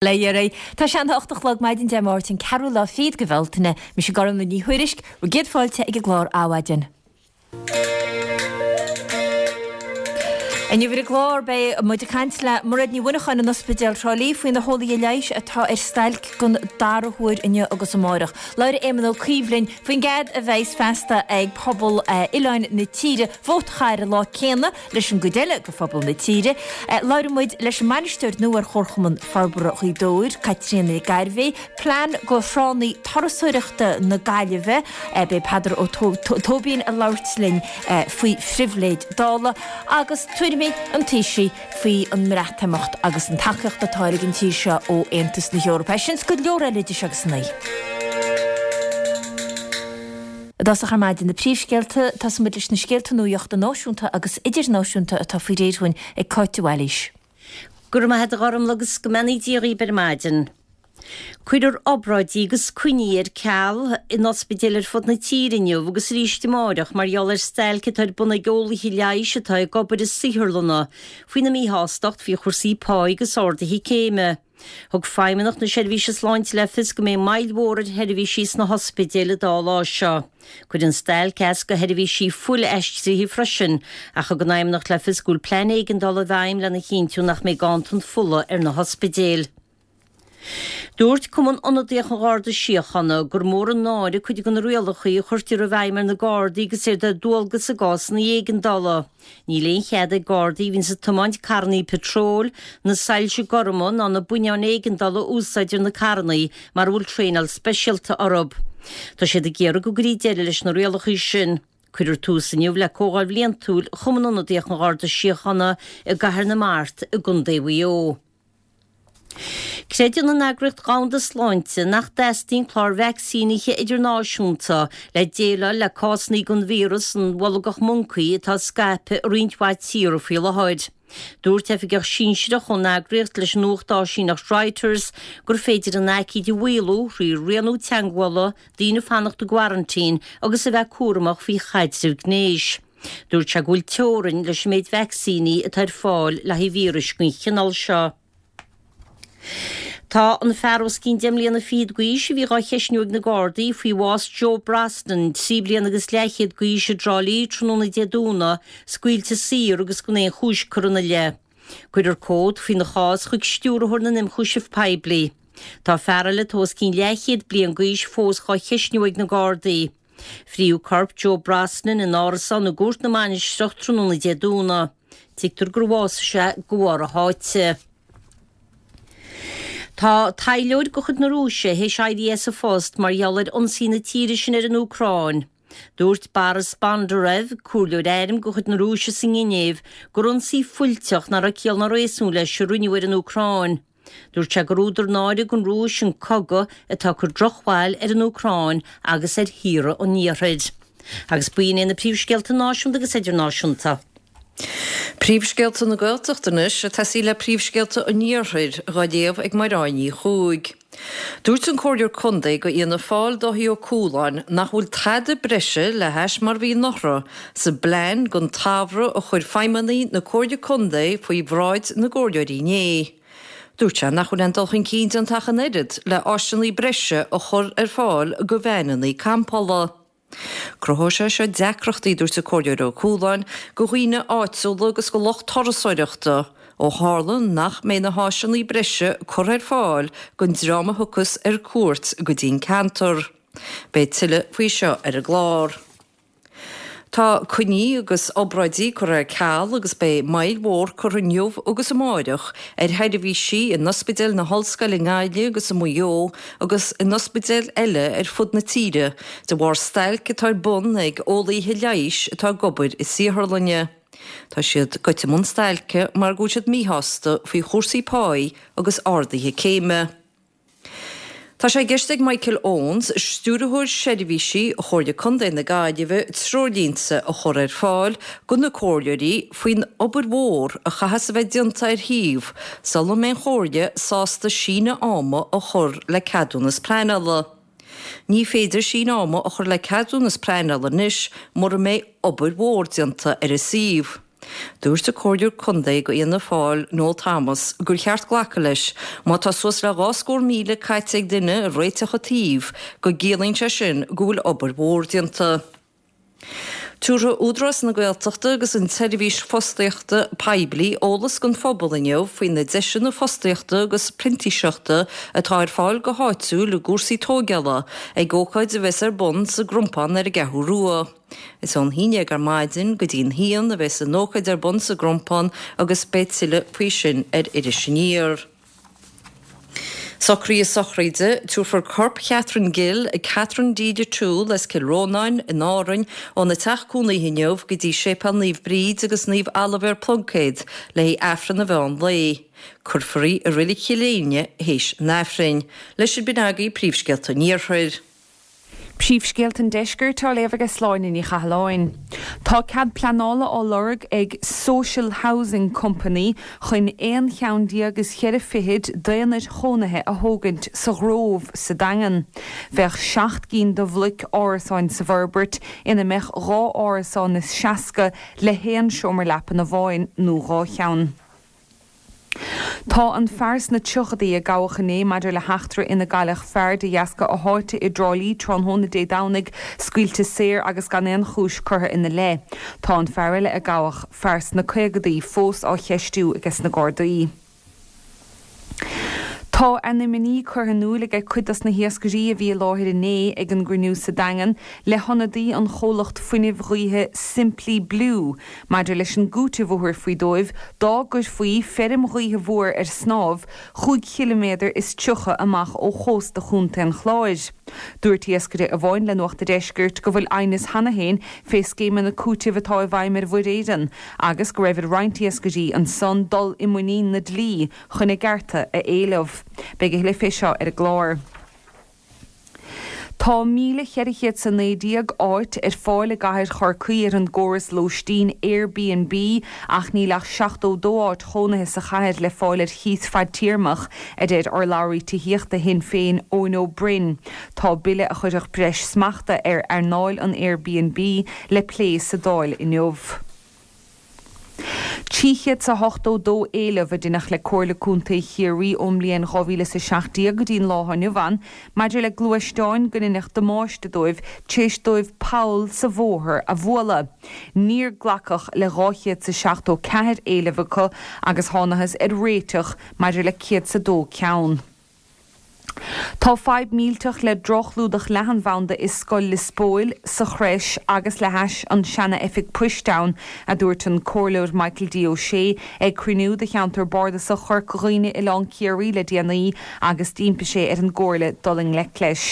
Le iarraidh. Tá sé an 8 a chlog maidin Dé Máirt an ceathrú lá fichead de Bhealtaine. Mise Gormlaith Ní Thuairisg, bhur gcéad fáilte ag an gclár Adhmhaidin. Inniu ar an gclár beidh muid ag caint le Mairéad Ní Mhuineacháin in Ospidéal Thrá Lí faoi na heolaithe leighis atá ar stailc don dara huair inniu agus amárach. Labhróidh Éamon Ó Cuív linn faoin gcead a bheas feasta ag pobal oileáin na tíre vóta a chaitheamh ar an lá céanna Leis an gcuid eile de phobal na tíre, labhróidh muid leis an mbainisteoir nua ar Chomharchumann Forbartha Ghaoth Dobhair, Caitríona Nic Gairbhéith, plean do thránna turasóireachta na Gaillimhe, beidh Peadar Ó Tóibín ag labhairt linn faoi phribhléid Dála, agus tuairimí an Taoisigh faoi an mBreatimeacht agus an tacaíocht atá ag an tír seo ó Aontas na hEorpa. É sin is go leor eile idir seo agus a naoi. I dtosach ar maidin na príomhscéalta, tosóidh muid leis na scéalta nuachta náisiúnta agus idirnáisiúnta atá faoi réir dhúinn ag Cáit de Bhailís. Go raibh maith a't a Ghormlaith agus go mbeannaí Dia dhaoib ar maidin. Cuirfear obráidí agus coinní ar ceal in ospidéil ar fud na tíre inniu agus arís amáireach mar gheall ar stailc atá ar bun ag eolaithe leighis atá ag obair i saotharlanna faoina míshástacht faoi chúrsaí pá agus arduithe céime. Thug Feidhmeannacht na Seirbhíse Sláinte le fios go mbeidh moill mhór ar sheirbhísí sna hospidéil an dá lá seo. Cuirfidh an stailc as do sheirbhísí fuil-aistrithe freisin, ach thug an Fheidhmeannacht le fios go bhfuil plean éigeandála i bhfeidhm lena chinntiú nach mbeidh ganntan fola ar na hospidéil. Dúirt Cumann Ionadaíoch an Gharda Síochána gur mór an náire cuid de na rialacha a chuirtear i bhfeidhm ar na Gardaí agus iad ar dualgas i gcásanna éigeandála. Níl aon chead ag Gardaí a bhíonns ag tiomáint carrannaí patróil, na soilse gorma ná na buinneáin éigeandála a úsáid ar na carrannaí mara bhfuil traenáil speisialta orthu. Tá siad ag iarraidh go gcuirfí deireadh leis na rialacha sin. Cuirfear tús inniu le Comhdháil Bhliantúil Chumann Ionadaíoch an Gharda Síochána i gCathair na Mart i gContae Mhaigh Eo. Creideann an Eagraíocht Dhomhanda Sláinte nach dteastaíonn clár vacsaínithe idirnáisiúnta le déileáil le cásanna den víreas an bholgach moncaí atá ag scaipeadh i roinnt mhaith tíortha faoi láthair. Dúirt oifigeach sinsearach ón eagraíocht leis an nuacht áisíneacht Reuters gur féidir an aicíd a mhaolú thrí rianú teagmhála, daoine fanacht i gcoraintín agus a bheith cúramach faoi chaidreamh gnéis. Dúirt sé go bhfuil teorainn leis an méid vacsaíní atá ar fáil le haghaidh víris den chineál seo. Tá an fear os cionn deich mbliana fichead d'aois a bhí dhá cheistniú ag na Gardaí faoi bhás Joe Brosnan, 3 bliana agus leathchéad d'aois i dTrá Lí tráthnóna Dé Domhnaigh, scaoilte saor agus gan aon chúis curtha ina leith. Cuirfear comhad faoina chás chuig Stiúrthóir na nImchúiseamh Poiblí. Tá fear eile atá os cionn leathchéad bliain d'aois fós dhá cheistniú ag na Gardaí. Frítheadh corp Joe Brosnan in árasán i gCúirt na Mainistreach tráthnóna Dé Domhnaigh. Tuigtear gur bhásaigh sé de bharr a sháite. Tá taidhleoir de chuid na Rúise théis éirí as a phost mar gheall ar ionsaí na tíre sin ar an Úcráin. Dúirt Boris Bondarev, comhairleoir airm de chuid na Rúise sa nGinéiv, gur ionsaí fuilteach nach raibh ciall ná réasún leis a rinneadh ar an Úcráin. Dúirt sé gur údar náire don Rúis an cogadh atá ag cur drochbhail ar an Úcráin agus ar thíortha an Iarthair. Agus b'in é na príomhscéalta náisiúnta agus idirnáisiúnta. Príomhscéalta na Gaeltachta anois, ag tosaí le príomhscéalta an Iarthair, dhá léamh ag Mairéad Ní Chuaig. Dúirt an Comhairleoir Contae do Fhianna Fáil Dáithí Ó Cualáin nach bhfuil tada breise le hais mar a bhí anuraidh sa bplean don tsamhradh a chuir feidhmeannaigh na Comhairle Contae faoi bhráid na gcomhairleoirí inné. Dúirt sé nach bhfuil aon dul chun cinn déanta ach an oiread le áiseanna breise a chur ar fáil do veaineanna campála. Cruthóidh sé seo deacrachtaí, dúirt an Comhairleoir Ó Cualáin, do dhaoine áitiúla agus do lucht turasóireachta, ó tharla nach mbeidh na háiseanna breise curtha ar fáil don dream a thiocfas ar cuairt go dtí an ceantar. Beidh tuilleadh faoi seo ar an gclár. Tá coinní agus obráidí curtha ar ceal agus beidh moill mhór curtha inniu agus amáireach ar sheirbhísí in Ospidéal na hOllscoile i nGaillimh agus i Maigh Eo agus in ospidéil eile ar fud na tíre de bharr stailc atá ar bun ag eolaíthe leighis atá ag obair i saotharlainne. Tá siad goite i mbun stailce mar go bhfuil siad míshásta faoi chúrsaí páí agus arduithe céime. Tá sé i gceist ag Michael Owens, Stiúrthóir Seirbhísí Chomhairle Contae na Gaillimhe, treoirlínte a chur ar fáil do na comhairleoirí faoin obair mhór a chaithfeas a bheith déanta ar shuíomh sula mbeidh an Chomhairle sásta síneadh ama a chur le ceadúnas pleanála. Ní féidir síneadh ama a chur le ceadúnas pleanála anois mura mbeidh obair mhór déanta ar an suíomh. Dúirt an Comhairleoir Contae do Fhianna Fáil, Noel Thomas, gur cheart glacadh leis, má tá suas le 200,000 caite ag duine ag réiteach an tsuímh, go gciallaíonn sé sin go bhfuil obair mhór déanta. Tabharfaidh Údarás na Gaeltachta agus an tSeirbhís Fostaíochta Poiblí eolas don phobal inniu faoi na deiseanna fostaíochta agus printíseachta atá ar fáil go háitiúil i gcúrsaí tóigeála ag ócáid a bheas ar bun sa gCrompán ar an gCeathrú Rua. Is ón haon dhéag ar maidin go dtí'n haon a bheas an ócáid ar bun sa gCrompán agus beidh tuilleadh faoi sin ar Iris Aniar. Socruithe sochraide, Tabharfar corp Chatherine Gill, Catherine Deeda Toole as Cill Rónáin in Árainn óna teach cónaithe inniu go dtí Séipéal Naomh Bríd agus Naomh Oilibhéar Pluincéad le haghaidh Aifreann an mheán lae. Cuirfear í i Reilig Chill Éinne théis an Aifrinn. Leis sin b'in agaibh príomhscéalta an Iarthair. Príomhscéalta an Deiscirt á léamh aige Sláine Ní Chathalláin. Tá cead pleanála á lorg ag Social Housing Company chun aon cheann déag is cheithre fichid d'aonaid chónaithe a thógaint sa Ghrove sa Daingean. Bheadh 7 gcinn de bhloic árasáin sa bhforbairt ina mbeadh 2 árasán is 60 le haon seomra leapan amháin nó 2 cheann. Tá an fear sna tríochadaí a gabhadh inné maidir le heachtra ina gcailleadh fear de dheasca a sháite i dTrá Lí tráthnóna Dé Domhnaigh scaoilte saor agus gan aon chúis curtha ina leith. Tá an fear eile a gabhadh, fear sna caogadaí, fós á cheistiú aige na Gardaí. Tá a n-imní curtha in iúil aige cuid dos na hiascairí a bhí i láthair inné ag an gcruinniú sa Daingean le hionadaí an chomhlacht fuinnimh ghaoithe Simply Blue Maidir leis an gcúiteamh a thabharfaí dóibh dá gcuirfí feirm ghaoithe mhór ar snámh chúig chiliméadar is 30 amach ó chósta Chontae an Chláir. Dúirt iascaire amháin le Nuacht a' Deiscirt go bhfuil aighneas cheana féin fé scéimeanna cúitimh atá i bhfeidhm ar Mhuir Éireann agus go raibh ar roinnt iascairí ansan dul i muinín na dlí chun a gcearta a éileamh. Beidh a thuilleadh fé seo ar an gclár. Tá 1,419 áit ar fáil i gcathair Chorcaí ar an gcóras lóistín Airbnb ach níl ach 72 áit chónaithe sa chathair le fáil ar chíos fadtéarmach, a deir urlabhraí tithíochta Shinn Féin Eoin Ó Broin. Tá bille a chuirfeadh breis smachta ar earnáil an Airbnb le plé sa Dáil inniu. 382 éileamh a deineadh le Comhairle Contae Chiarraí ón mbliain 2017 go dtí an lá atá inniu ann maidir le gluaisteáin go ndeineadh damáiste dóibh tar éis dóibh poll sa bhóthar a bhualadh. Níor glacadh le 274 éileamh acu agus thánathas ar réiteach maidir le 102 ceann. Tá fadhb millteach le droch-chlúdach leathanbhanda i Scoil Lios Póil, sa Chrois agus le hais an seana-oifig poist ann, a dúirt an Comhairleoir Michael D. Ó Sé ag cruinniú de cheantar bardasach Chorca Dhuibhne Oileán Ciarraí le déanaí agus d'impigh sé ar an gComhairle dul i ngleic leis.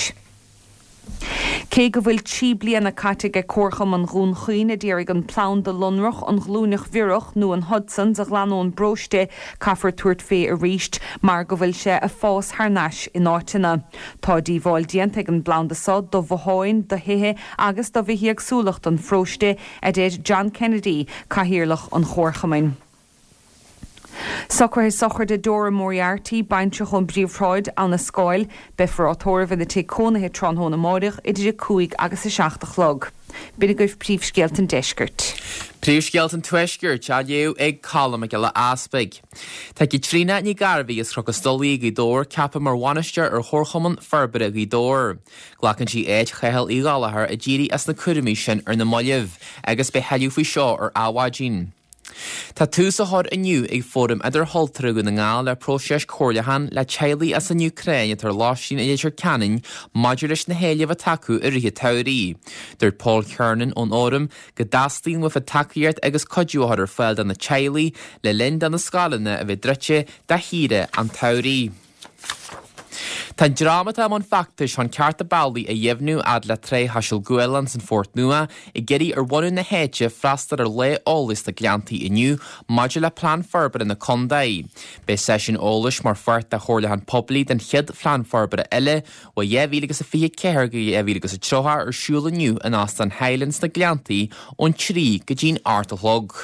Cé go bhfuil 3 bliana caite aige Comharchumann Dhún Chaoin a d'iarraidh an planda lonrach, an ghlúineach bhiorach nó an Hudson's a ghlanadh ón bparóiste, caithfear tabhairt fé arís mar go bhfuil sé a fás thar n-ais in áiteanna. Tá díobháil déanta ag an bplanda so do bhotháin, do thithe agus do bhithéagsúlacht an pharóiste, a deir John Kennedy, Cathaoirleach an Chomharchumainn. Socruithe sochraide Dora Moriarty, baintreach ón bPríomhshráid, Abha na Scáil. Beifear á tórramh ina tigh cónaithe tráthnóna amáireach idir 5 agus 7 a chlog. B'in agaibh príomhscéalta an deiscirt. Príomhscéalta an Tuaiscirt á léamh ag Colm Mac Giolla Easpaig. Tá Caitríona Ní Ghairbhí as Cnoc an Stolaí i Gaoth Dobhair ceaptha mar bhainisteoir ar Chomharchumann Forbartha Ghaoth Dobhair. Glacann sí áit Chathail Uí Ghallchóir a d'éirigh as na cúraimí sin ar na mallaibh agus beidh tuilleadh faoi seo ar Adhmhaidin. Tá tús á chur inniu ag Fóram Idirchultúrtha Dhún na nGall le próiseas comhairliúcháin le teaghlaigh as an Úcráin atá ar lóistín i Leitir Ceanainn maidir leis na héilimh atá acu i rith an tsamhraidh. Dúirt Paul Kiernan ón Fhóram go dteastaíonn uafa tacaíocht agus cuidiú a chur ar fáil do na teaghlaigh le linn do na scoileanna a bheith druidte do shaoire an tsamhraidh. Tá an dream atá i mbun feachtais chun cearta bealaigh a dheimhniú fhad le Trá Chaiseal Gabhálán san Phort Nua ag iarraidh ar bhunadh na háite freastal ar lá eolais sna Gleanntaí inniu maidir le Plean Forbartha na Contae. Beidh seisiún eolais mar pháirt de chomhairliúchán poiblí don chéad Phlean Forbartha eile ó 2024 go 2030 ar siúl inniu in Óstán Highland sna Gleanntaí ón 3 go dtí'n 8 a chlog.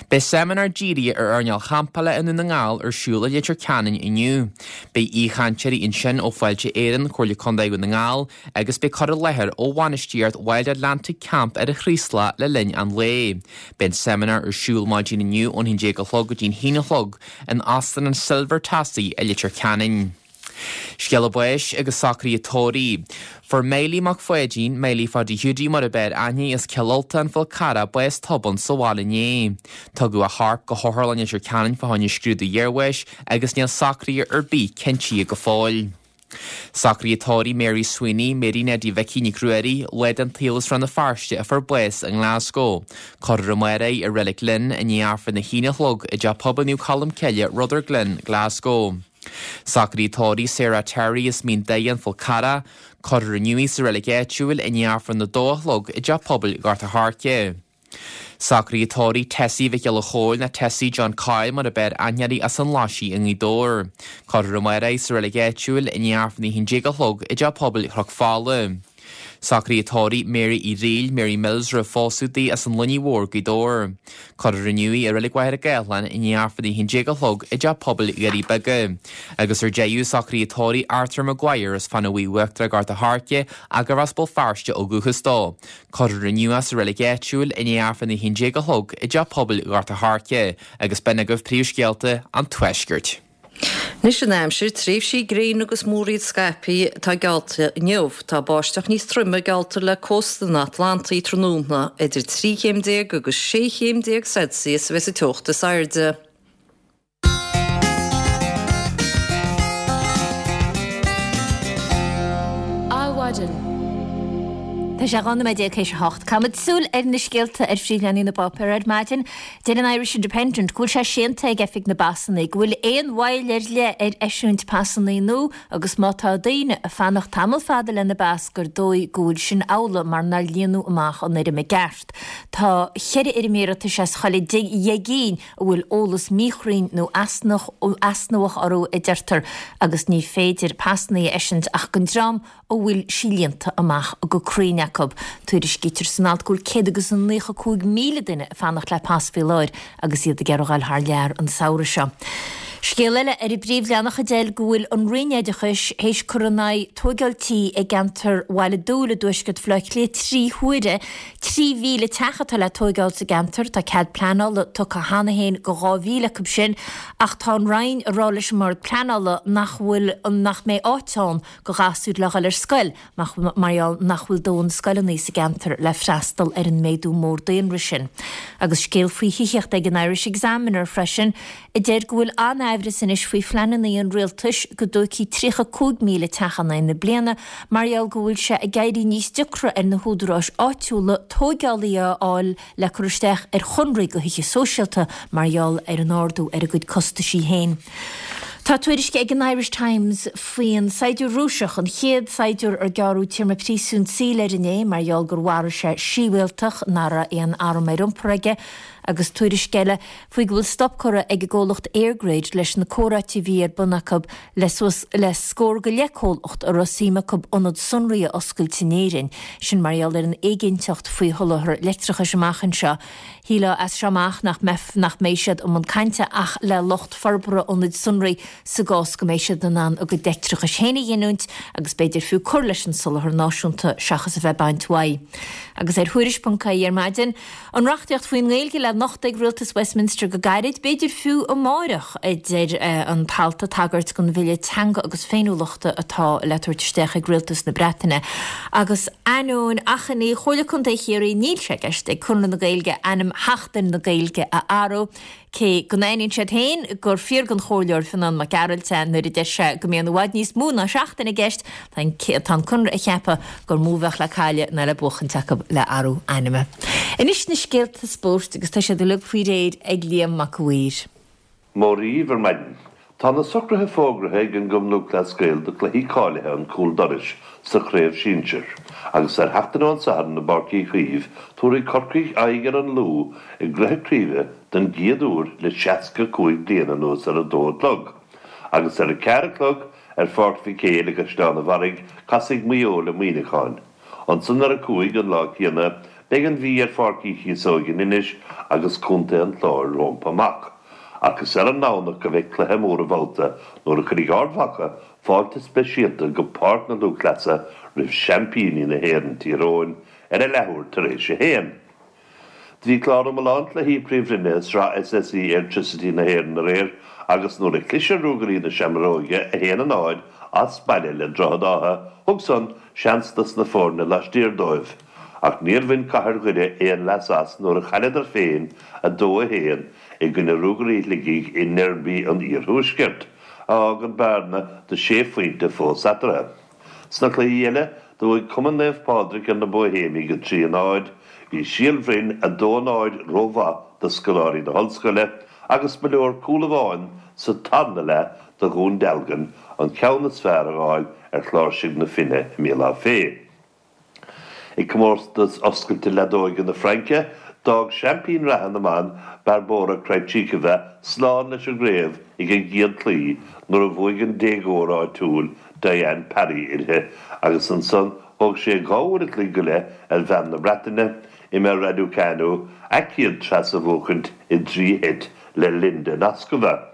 Beidh seimineár dírithe ar airneáil champála i nDún na nGall ar siúl i Leitir Ceanainn inniu. Beidh aoichainteoirí ansin ó Fáilte Éireann, Comhairle Contae Dhún na nGall agus beidh cur i láthair ó bhainistíocht Wild Atlantic Camp ar an Chraoslach le linn an lae. Beidh an seimineár ar siúl maidin inniu ón 11 a chlog go dtí'n 1 a chlog in Óstán an Silver Tassie i Leitir Ceanainn. Scéala báis agus socruithe tórraimh. Fuair Miley Mac Pháidín, Miley Pháidí Hiúdaí mar ab fhearr aithne as Cill Ultain, Fál Carrach, bás tobann sa bhaile inné. Tugadh a chorp go hOtharlann Leitir Ceanainn fá choinne scrúdú iarbháis agus níl socruithe ar bith cinntithe go fóill. Socruithe tórraimh Mary Sweeney, Mary Neidí Mhicí Nic Ruairí, lá den tsaol as Rann na Feirste a fuair bás i nGlasgow. Cuirfear amárach í i Reilig Linn i ndiaidh Aifreann a haon a chlog i dTeach Pobail Naomh Colm Cille, Rutherglen, Glasgow. Socruithe tórraimh Sarah Terry as Mín Doire, An Fál Carrach. Cuirfear inniu í sa reilig áitiúil i ndiaidh Aifreann a dó a chlog i dTeach Pobail Ghort a' Choirce. Socruithe tórraimh Tessie Mhic Giolla Chóill nó Tessie John Coyle mar ab fhearr aithne uirthi as an Laisigh i nGaoth Dobhair. Cuirfear amárach í sa reilig áitiúil i ndiaidh Aifreann a 11 a chlog i dTeach Pobail Chnoc Fola. Socruithe tórraimh Mary Uí Fhrighil, Mary Mills roimh phósadh di as an Luinnigh Mhór, Gaoth Dobhair. Cuirfear inniu í i Reilig Mhachaire Gathlán i ndiaidh Aifreann a 11 a chlog i dTeach Pobail Dhoirí Beaga. Agus ar deireadh, socruithe tórraimh Arthur Maguire as Fána Bhuí Uachtarach Gort a' Choirce ach gurbh as Béal Feirste ó dhúchas dó. Cuirfear inniu é sa reilig áitiúil i ndiaidh Aifreann a 11 a chlog i dTeach Pobail Ghort a' Choirce. Agus b'in agaibh príomhscéalta an Tuaiscirt. Anois an aimsir, tréimhsí gréine agus múraíl scaipthe atá geallta inniu. Tá báisteach níos troime geallta le cósta an Atlantaigh tráthnóna. Idir 13 chéim agus 16 chéim Celsius a bheas an teocht is airde. Adhmhaidin. Tá sé 12 nóiméad théis a hocht. Caithfimid súil ar na scéalta ar phríomhleathanaigh na bpáipéar ar maidin. Deir an Irish Independent go bhfuil sé séanta ag Oifig na bPasanna go bhfuil aon mhoill ar leith ar eisiúint pasanna nua agus má tá daoine ag fanacht tamall fada lena bpas gur dóigh go bhfuil sin amhlaidh mar nár líonadh amach an fhoirm i gceart. Tá cheithre fhoirm iarratais as chuile dheich gcinn a bhfuil eolas míchruinn nó easnamhach orthu a deirtear agus ní féidir pasanna a eisiúint ach don dream a bhfuil sí líonta amach go cruinn acu. Tuairiscítear san alt go bhfuil 195,000 duine ag fanacht le pas faoi láthair agus iad ag iarraidh a dhul thar lear an samhradh seo. Scéal eile ar an bpríomhleathanach a deir go bhfuil an Roinn Oideachais théis cur in aghaidh tóigeáil tí i gceantar Bhaile Dúill i dtuaisceart Bhaile Átha Cliath 3 huaire. 3,000 teach atá le tóigeáil sa gceantar. Tá cead pleanála tugtha cheana féin go 2,000 acu sin ach tá an Roinn ag rá leis an mBord Pleanála nach bhfuil nach mbeidh áit ann go ghasúir le dhul ar scoil mar gheall nach bhfuil dóthain scoileanna sa gceantar le freastal ar an méadú mór daonra sin. Agus scéal faoi thithíocht ag an Irish Examiner freisin a deir go bhfuil an-aimhreas anois faoi phleananna an rialtais go dtógfaí 35,000 teach in aghaidh na bliana mar gheall go bhfuil sé ag éirí níos deacra ar na húdaráis áitiúla tóigeálaithe a fháil le cur isteach ar chonraí go thithe sóisialta mar gheall ar an ardú ar a gcuid costaisí féin. Tá tuairisc ag an Irish Times faoin saighdiúir Rúiseach, an chéad saighdiúir ar gearradh téarma príosúin saoil air inné mar gheall gur mharaigh sé síbhialtach nach raibh aon arm ar iompar aige, agus tuairisc eile faoi go bhfuil stop curtha ag an gcomhlacht EirGrid leis na comhráite a bhí ar bun acu le suas le scór go leith comhlacht a raibh suim acu ionad sonraí a oscailt in Éirinn, sin mar gheall ar an éiginnteacht faoi sholáthar leictreachais amach anseo. Shílfeá as seo amach nach mbeidh nach mbeidh siad i mbun cainte ach le lucht forbartha ionaid sonraí sa gcás go mbeidh siad in ann a gcuid leictreachais féin a ghiniúint agus b'fhéidir fiú cur leis an soláthar náisiúnta seachas a bheith ag baint uaidh. Agus ar Thuairisc.ie ar maidin, An reachtaíocht faoin nGaeilge le nochtadh ag rialtas Westminster go gairid, b'fhéidir fiú amáireach, a deir an t-alt ag tagairt don bhille teanga agus féiniúlachta atá le tabhairt isteach ag rialtas na Breataine. Agus ainneoin achainí Chomhairle Contae Chiarraí níl sé i gceist ag Conradh na Gaeilge ainm Sheachtain na Gaeilge a athrú. Cé go n-aithníonn siad féin gur fíor don Chomhairleoir Fionán Mac Gearailt é nuair a deir sé go mbíonn i bhfad níos mó ná seachtain i gceist, tá an Conradh ag ceapadh gur mó a bheadh le cailleadh ná le buachaint acu le athrú ainme. Anois na scéalta spóirt agus tá siad uilig faoi réir ag Liam Mac a' Mhaoir. Móra dhaoibh ar maidin. Tá na socruithe fógraithe ag an gCumann Lúthchleas Gael do chluichí cáilithe an cúl dorais sa chraobh sinsir agus ar sheachtain ón Satharn i bPáirc Uí Chaoimh tabharfaidh Corcaigh aghaidh ar an Lú i gcluiche craoibhe don gcéad uair le 65 bliain anuas ar a dó a chlog agus ar a ceathair a chlog ar Pháirc Mhic Éil i gCaisleán an Bharraigh casfaidh Maigh Eo le Muineachán. Ansan ar a cúig an lá céanna. Beidh an Mhí ar Pháirc Uí Chíosóig in Inis agus Contae an Chláir rompu amach. Ach is ar an nDomhnach a bheidh cluiche mór an bhabhta nuair a chuirfidh Ard Mhacha fáilte speisialta go Páirc na Lúthchleasa roimh seaimpíní na hÉireann, Tír Eoghain, ar a leathuair tar éis a haon. Do bhí clár iomlán cluichí Príomhroinne i Sraith SSE Airtricity na hÉireann aréir agus nuair a chlis ar Ruagairí na Seamróige, 1, 0, as baile le Droichead Átha, thug san seans dos na foirne laistiar dóibh. Ach níor bhain Cathair Dhoire aon leas as nuair a chailleadar féin, 2, 1, i gcoinne Ruagairí Shligigh i ndeirby an Iarthuaiscirt, a fhágann bearna de sé phointe fós eatarthu. Sna cluichí eile, do bhuaigh Cumann Naomh Pádraig ar na Bóihéimigh 3, 0, bhí Síol Bhroin 2, 0 rómhaith do scoláirí na hOllscoile agus ba leor cúl amháin sa tarna leath do Dhún Dealgan an ceann is fearr a fháil ar Chláirsigh na Finne i mBéal Átha Féith. I gcomórtas oscailte leadóige na Fraince, d'fhág seaimpín reatha na mban, Barbora Krejcikova, slán leis an gcraobh ag an gcéad chluiche nuair a bhuaigh an déagóir áitiúil Diane Parry uirthi agus ansan thóg sé 2 uair a chloig go leith ar bhean na Breataine, Emma Raducanu, a céad treas a bhuachaint i dtrí sheit le Linda Noskova.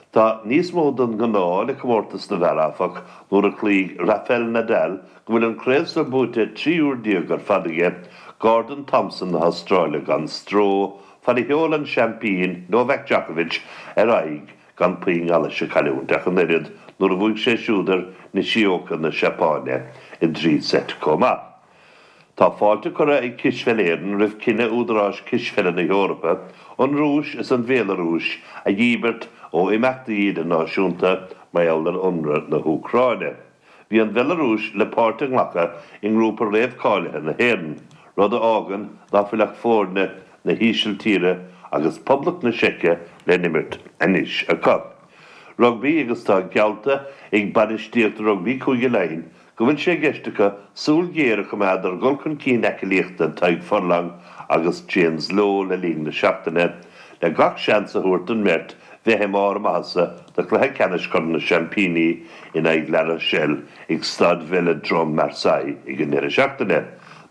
Tá níos mó don ghnáth le comórtas na bhfear, áfach, nuair a chloígh Rafael Nadal, go bhfuil an craobh so buaite 13 uair ar fad aige, Gordon Thomson na hAstráile gan stró, fad a sheol an seaimpín, Novak Djokovic, ar aghaidh gan puinn allais a chailliúint ach an oiread nuair a bhuaigh sé siúd ar Nishioka na Seapáine i dtrí seit chomh maith. Tá fáilte curtha ag Cispheil Éireann roimh cinneadh údaráis Cispheile na hEorpa an Rúis is an Bhéalarúis a dhíbirt ó imeachtaí idirnáisiúnta mar gheall ar ionradh na hÚcráine. Bhí an Bhealarúis le páirt a nglacadh i ngrúpa réamhcháilithe na hÉireann, rud a fhágann ná fuil ach foirne na hÍsiltíre agus Poblacht na Seice le n-imirt anois acu. Rugbaí agus tá geallta ag bainistíocht rugbaí Chúige Laighean go bhfuil sé i gceist acu súil ghéar a choimeád ar dhul chun cinn aclaíochta Tadhg Furlong agus James Lowe le linn na seachtaine, le gach seans a thabhairt don mbeirt bheith i mbarr a maitheasa do chluiche ceannais Chorn na Seaimpíní in aghaidh La Rochelle ag Staid Velodrome Marseille ag an ndeireadh seachtaine.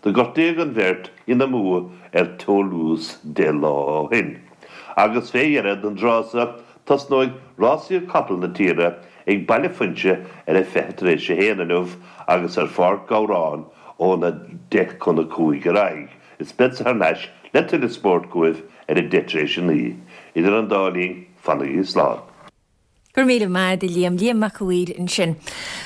Do gortaíodh an bheirt ina mbua ar Toulouse 10 lá ó shin. Agus fé dheireadh don dtráth so, Tosnóidh rásaíocht capall na tíre ag Baile Phuinse ar a 1:20 inniu agus ar Pháirc Ghabhráin óna 4:50 ar aghaidh. Is beadsa thar n-ais le tuilleadh spóirt chugaibh ar a 9:10. Idir an dá linn, fanaigí slán. Go raibh míle maith a'd a Liam. Liam Mac a' Mhaoir ansin.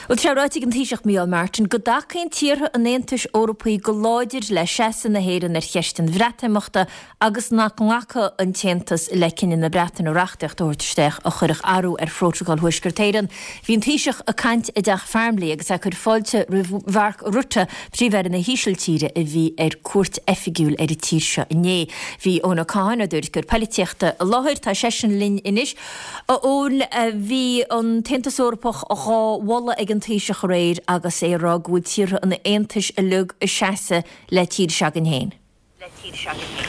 Bhuel, tá sé ráite ag an Taoiseach Micheál Martin go dtacaíonn tíortha an Aontais Eorpaigh go láidir le seasamh na hÉireann ar cheist an Bhreatimeachta agus nach nglacfadh an tAontas le cinneadh na Breataine reachtaíocht a thabhairt isteach a chuirfeadh athrú ar Phrótacal Thuaisceart Éireann. Bhí an Taoiseach ag caint i dTeach Farmleigh agus é ag cur fáilte roimh Mhark Rutte, Príomh-Aire na hÍsiltíre, a bhí ar cuairt oifigiúil ar an tír seo inné. Bhí Eoin Ó Catháin, ár dtuairisceoir poilitíochta, i láthair. Tá seisean linn anois. A Eoin, bhí an tAontas Eorpach dhá mholadh ag an Taoiseach aréir agus é ag rá go bhfuil tíortha an Aontais uilig ag seasamh le tír s'againn féin. le tír s'againn féin.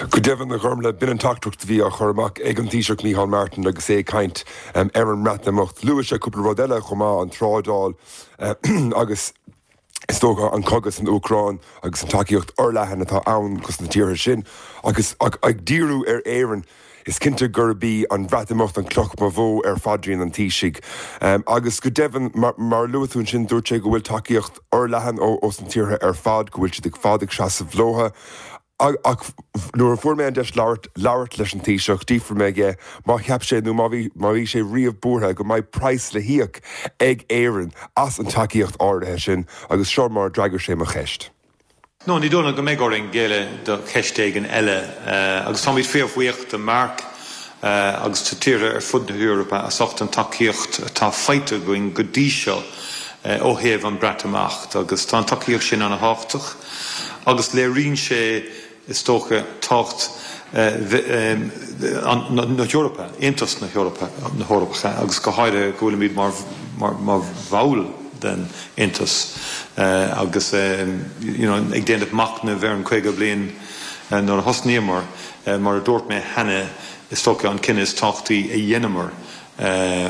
Go deimhin, a Ghormlaith, b'in an teachtaireacht a bhí á chur amach ag an Taoiseach Micheál Martin agus é ag caint ar an mBreatimeacht. Luaigh sé cúpla rud eile chomh maith, an trádáil agus is dócha an cogadh san Úcráin agus an tacaíocht fhorleathan atá ann dos na tíortha sin. Agus ag díriú ar Éirinn, Is cinnte gurb í an Bhreatimeacht an cloch ba mhó ar phaidrín an Taoisigh. Agus go deimhin, mar a luaigh tú ansin, dúirt sé go bhfuil tacaíocht fhorleathan ós na tíortha ar fad, go bhfuil siad ar fad ag seasamh leotha. Ach nuair a fuair mé an deis labhairt labhairt leis an Taoiseach, d'fhiafraigh mé dhe má cheap sé nó má bhí má bhí sé riamh buartha go mbeidh praghas le híoc ag Éirinn as an tacaíocht áirithe sin agus seo mar a d'fhreagair sé mo cheist. No, ní dóigh liom go mbeidh orainn géilleadh do cheist éigin eile agus táimid fíorbhuíoch de Mark agus de tíortha ar fud na hEorpa as ucht an tacaíocht atá faighte againn go dtí seo ó thaobh an Breatimeacht agus tá an tacaíocht sin ana-thábhachtach agus léiríonn sé is dócha, tábhacht na hEorpa, Aontas na hEorpa, na hEorpacha agus go háirithe go bhfuilimid mar bhall den Aontas agus you know ag déanamh machnaimh ar an 50 bliain nuair a thosnaíomar, mar a dúirt mé cheana, is dócha an cinneadh is tábhachtaí a dheineamar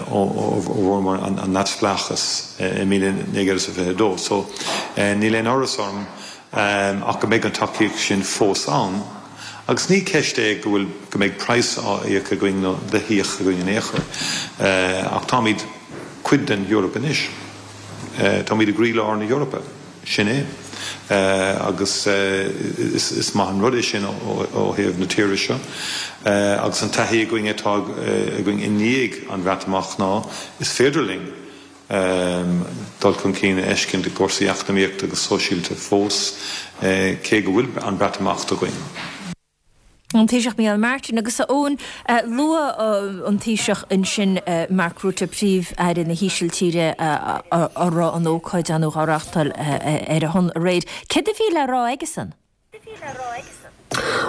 ó bhfuaireamar an neamhspleáchas i 1922. So níl aon amhras orm. Ach go mbeidh an tacaíocht sin fós ann. Agus ní ceist é go bhfuil, go mbeidh praghas á íoc againn nó le híoc againn in aon chor. Ach táimid cuid den Eoraip anois. Táimid i gcroílár na hEorpa. Sin é. Agus is maith an rud é sin ó thaobh na tíre seo. Agus an taithí againn atá againn i ndiaidh an Bhreatimeacht ná is féidir linn dul chun cinn a fheiscint i gcúrsaí eacnamaíochta agus sóisialta fós, cé go bhfuil an Breatimeacht againn. An Taoiseach Micheál Martin agus a Eoin, luadh an Taoiseach ansin, Mark Rutte, Príomh-Aire na hÍsiltíre, a raibh an ócáid ann á reáchtáil ar a shon aréir. Céard a bhí le rá aigesan?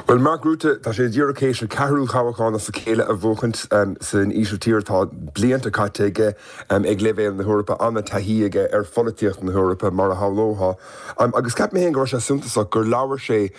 Bhuel, Mark Rutte, tá sé díreach théis a cheathrú thoghchán as a chéile a bhuachaint san Ísiltír. Tá blianta caite aige ag leibhéal na hEorpa, an-taithí aige ar pholaitíocht na hEorpa, mar a shamhlófá. Agus cheap mé féin go raibh sé suntasach gur labhair sé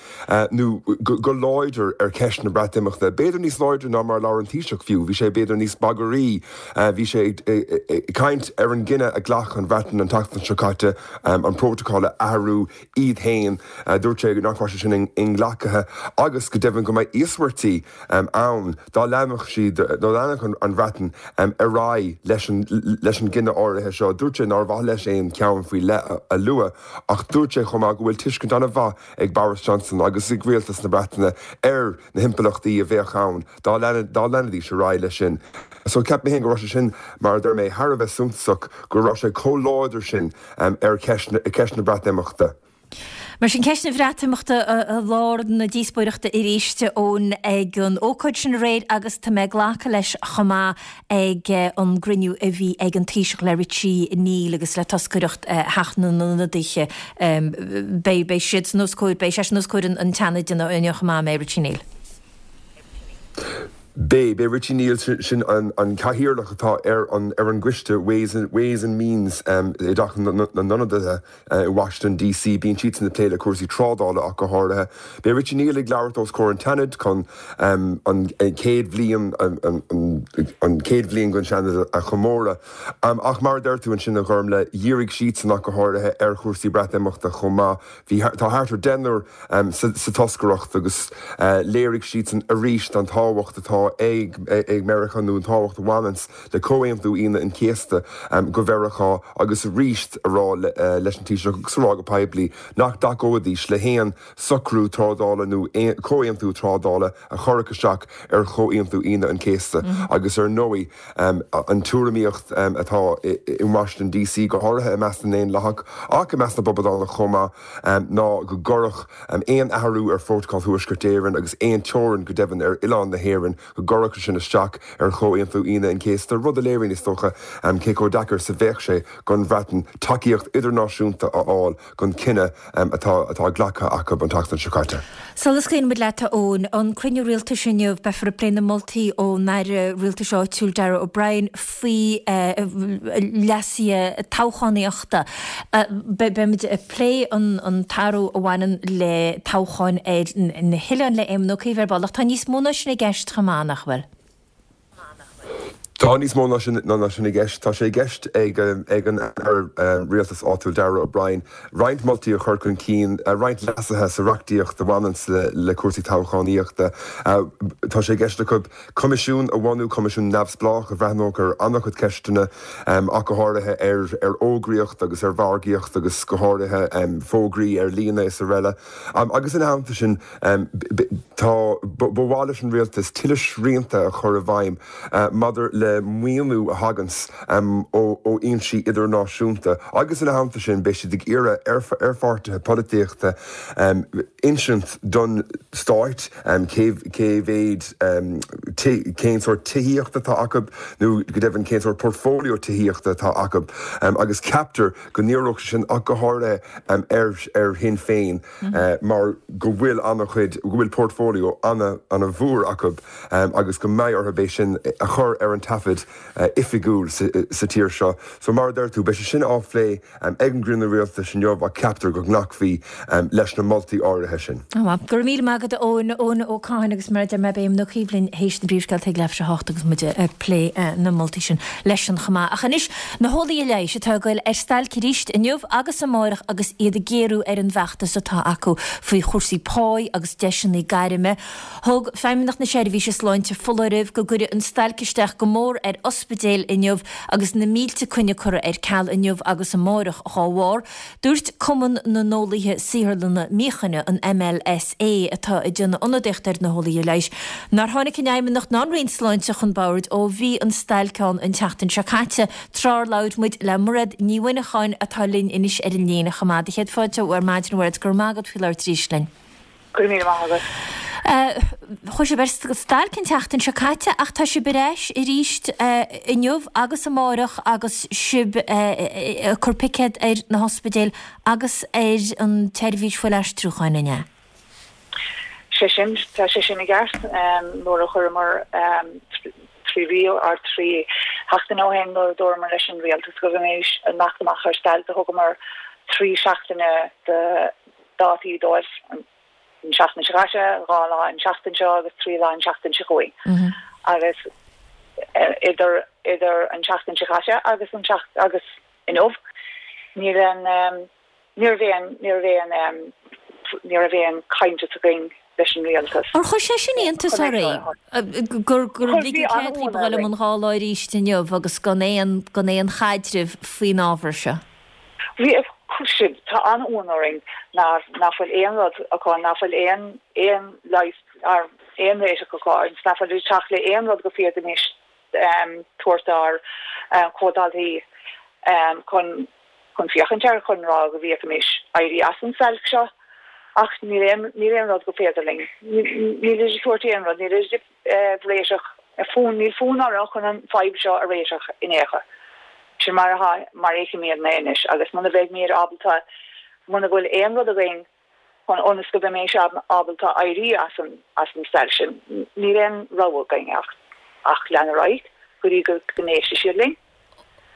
nó go láidir ar cheist na Breatimeachta, b'fhéidir níos láidre ná mar a labhair an Taoiseach fiú. Bhí sé b'fhéidir níos bagaraí. Bhí sé ag caint ar an gcinneadh a ghlac an Bhreatain an tseachtain seo caite an prótacal a athrú iad féin. Dúirt sé nach raibh sé sin inghlactha agus go deimhin go mbeidh íosmhairtí ann dá leanfadh siad, dá leanfadh an Bhreatain ar aghaidh leis an leis an gcinneadh áirithe seo. Dúirt sé nár mhaith leis aon cheann faoi leith a lua ach dúirt sé chomh maith go bhfuil tuiscint an-mhaith ag Boris Johnson agus ag rialtas na Breataine ar na himpleachtaí a bheadh ann dá leanfaidís ar aghaidh leis sin. So cheap mé féin go raibh sé sin, mar a deir mé, thar a bheith suntasach go raibh sé chomh láidir sin ar cheist na Breatimeachta. Mar sin, ceist na Breatimeachta i lár na díospóireachta arís, Eoin, ag an ócáid sin aréir agus tá mé ag glacadh leis chomh maith ag an gcruinniú a bhí ag an Taoiseach le Richie Neal agus le toscaireacht Theach na nIonadaithe. Beidh siadsan os comhair, beidh seisean os comhair an tSeanaid inniu chomh maith, an mbeidh, Richie Neal? Beidh, beidh Richie Neal, sin an cathaoirleach atá ar an ar an gcoiste Ways Ways and Means i dTeach na nIonadaithe i Washington DC, bíonn siadsan ag plé le cúrsaí trádála ach go háirithe. Beidh Richie Neal ag labhairt os comhair an tSeanaid chun an chéad bhliain an chéad bhliain den Seanad a chomóradh. Ach mar a deir tú ansin a Ghormlaith, dhírigh siadsan ach go háirithe ar chúrsaí Breatimeachta chomh maith. Bhí, tá thart ar deichniúr sa toscaireacht agus léirigh siadsan arís an tábhacht atá ag Meiriceá nó an tábhacht a bhaineanns le Comhaontú Aoine an Chéasta go Mheiriceá agus arís a rá leis an Taoiseach agus a rá go poiblí nach dtacóidís le haon socrú trádála nó comhaontú trádála a chuirfeadh isteach ar Chomhaontú Aoine an Chéasta agus ar ndóigh an tuairimíocht atá i Washington DC, go háirithe i measc na nDaonlathach ach i measc na bPoblachtánach chomh maith, ná go gcuirfeadh aon athrú ar Phrótacal Thuaisceart Éireann agus aon teorainn, go deimhin, ar oileán na hÉireann, go gcuirfeadh sé sin isteach ar Chomhaontú Aoine an Chéasta, rud a léiríonn, is dócha, cé chomh deacair is a bheadh sé don Bhreatain tacaíocht idirnáisiúnta a fháil don chinneadh atá atá glactha acu an tseachtain seo caite. Sula scaoileann muid leat, a Eoin, an cruinniú rialtais inniu, beifear ag plé na moltaí ón Aire Rialtais Áitiúil Darragh O'Brien faoi leasuithe toghchánaíochta. Beimid ag plé an t-athrú a bhaineann le toghcháin ar na hoileáin le Éamon Ó Cuív ar ball ach tá níos mó ná sin i gceist chomh maith, nach bhfuil? Tá níos mó ná sin ná sin i gceist. Tá sé i gceist ag ag an Aire Rialtais Áitiúil Darragh O'Brien roinnt moltaí a chur chun cinn, roinnt leasuithe sa reachtaíocht a bhaineanns le le cúrsaí toghchánaíochta. Tá sé i gceist acu coimisiún a bhunú, coimisiún neamhspleách a bhreathnódh ar an-chuid ceisteanna, ach go háirithe ar ar fhógraíocht agus ar mhargaíocht agus go háirithe fógraí ar líne is araile. Agus ina theannta sin, Tá, ba mhaith leis an Rialtas tuilleadh srianta a chur i bhfeidhm maidir le maoiniú a thaganns ó fhoinsí idirnáisiúnta agus ina theannta sin beidh siad ag iarraidh ar pháirtithe polaitíochta insint don Stát cé mhéad, cén sórt tithíochta atá acu nó go deimhin cén sórt portfolio tithíochta atá acu agus ceaptar go ndíreodh sé sin ach go háirithe ar Shinn Féin. mar go bhfuil an-chuid, go bhfuil portfolio an-mhór acu agus go mbeidh orthu é sin a chur ar an taispeáint. taifead oifigiúil sa tír seo. So mar a deir tú, beidh sé sin á phlé ag an gcruinniú rialtais inniu ach ceaptar go nglacfaí leis na moltaí áirithe sin. Go raibh míle maith agat a Eoin, Eoin Ó Catháin agus mar a deir mé beidh Éamon Ó Cuív linn théis na bpríomhscéalta ag leathuair tar éis a hocht agus muid ag plé na moltaí sin leisean chomh maith. Ach anois, na heolaithe leighis atá ag goil ar stailc arís inniu agus amáireach agus iad ag géarú ar an bhfeachtas atá acu faoi chúrsaí páí agus deiseanna gairme. Thug Feidhmeannacht na Seirbhíse Sláinte foláireamh go gcuirfidh an stailc isteach go mór ar ospidéil inniu agus na mílte coinne curtha ar ceal inniu agus amáireach dhá bharr. Dúirt Cumann na nEolaithe Saotharlanna Míochaine, an MLSA, atá ag déanamh ionadaíocht ar na heolaithe leighis, nár tháinig an Fheidhmeannacht ná an Roinn Sláinte chun boird ó bhí an stailc ann an tseachtain seo caite, tráth ar labhair muid le Mairéad Ní Mhuineacháin atá linn anois ar an líne chomh maith. Do chéad fáilte ar maidin, a Mhairéad, go raibh maith agat faoi labhairt arís linn. Go raibh míle maith agat. Chuaigh sibh ar stailc an tseachtain seo caite ach tá sibh ar ais arís inniu agus amáireach agus sibh ag cur picéad ar na hospidéil agus ar an tseirbhís fuilaistriúcháin, an ea? Sé sin, tá sé sin i gceart. Nuair a chuireamar 3 mhí or 3 sheachtaine ó shin nuair a dúramar leis an rialtas go mbeimis ag imeacht amach ar stailc do thugamar 3 seachtaine de dátaí dóibh an seachtain seo caite, 2 lá an seachtain seo agus 3 lá an seachtain seo chugainn. Agus idir idir an seachtain seo caite agus an agus inniu níl an ní raibh aon ní raibh aon ní raibh aon caint againn leis an rialtas. Ar chuir sé sin iontas oraibh gur gur ligeadh cead daoibh a dhul i mbun 2 lá arís inniu agus gan aon gan aon chaidreamh faoin ábhar seo? Bhí, sin, tá an-uamhan orainn nach bhfuil aon rud acu, nach bhfuil aon, aon leigheas, aon réiteach acu agus nach bhfuil ag teacht le aon rud go féadfaimis tabhairt dár comhdhaltaí chun, chun féachaint air, chun rá go bhféadfaimis éirí as an stailc seo. Ach níl aon, níl aon rud go féidir linn, níl ag tabhairt aon rud, níl ag réiteach, fonn, níl fonn orthu chun an fadhb seo a réiteach in aon chor. Sin mar atá, mar a fheicimidne anois agus muna bheidhmid ábalta, muna bhfuil aon rud againn chun ionas go mbeimis ábalta éirí as an, as an stailc sin, níl aon rogha againn ach, ach lean ar aghaidh go dtí go n-éistfidh siad linn.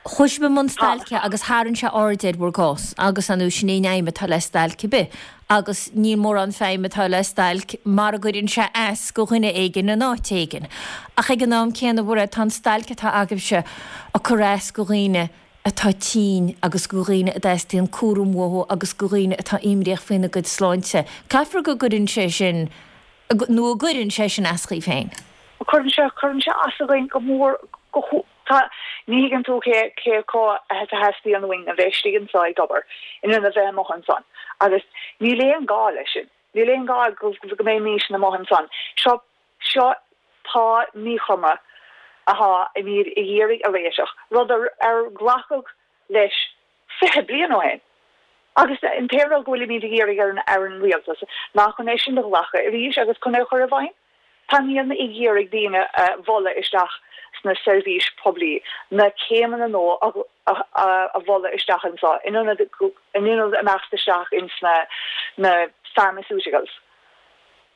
Chuaigh sibh i mbun stailce agus tharraing sé aird ar bhur gcás agus ar ndóigh sin é an fheidhm atá le stailc ar bith agus níl mórán feidhm atá le stailc mara gcuireann sé as go dhuine éigin in áit éigin. Ach ag an am céanna, a Mhairéad, tá an stailc atá agaibhse ag cur as go dhaoine atá tinn agus go dhaoine a dteastaíonn cúram uathu agus go dhaoine atá imníoch faoina gcuid sláinte. Caithfear go gcuireann sé sin, nó an gcuireann sé sin as dhaoibh féin? Cuireann sé, cuireann sé as againn go mór, go. Tá, ní thuigeann tú cé cé chomh a theastaíonn uainn a bheith istigh anseo ag obair, in ionad a bheith amuigh ansan. Agus níl aon gá leis sin. Níl aon gá go go mbeimis amuigh ansan. Seo, seo pá míchuma atáimid ag iarraidh a réiteach, rud ar ar glacadh leis 20 bliain ó shin. Agus an t-aon rud go bhfuilimid ag iarraidh ar an ar an rialtas ná chun é sin a ghlacadh arís agus chun é a chur i bhfeidhm. Táimidne ag iarraidh daoine a mholadh isteach sna seirbhís poiblí, na céimeanna nua a mholadh isteach anseo in ionad in ionad imeacht isteach ins na na pharmaceuticals.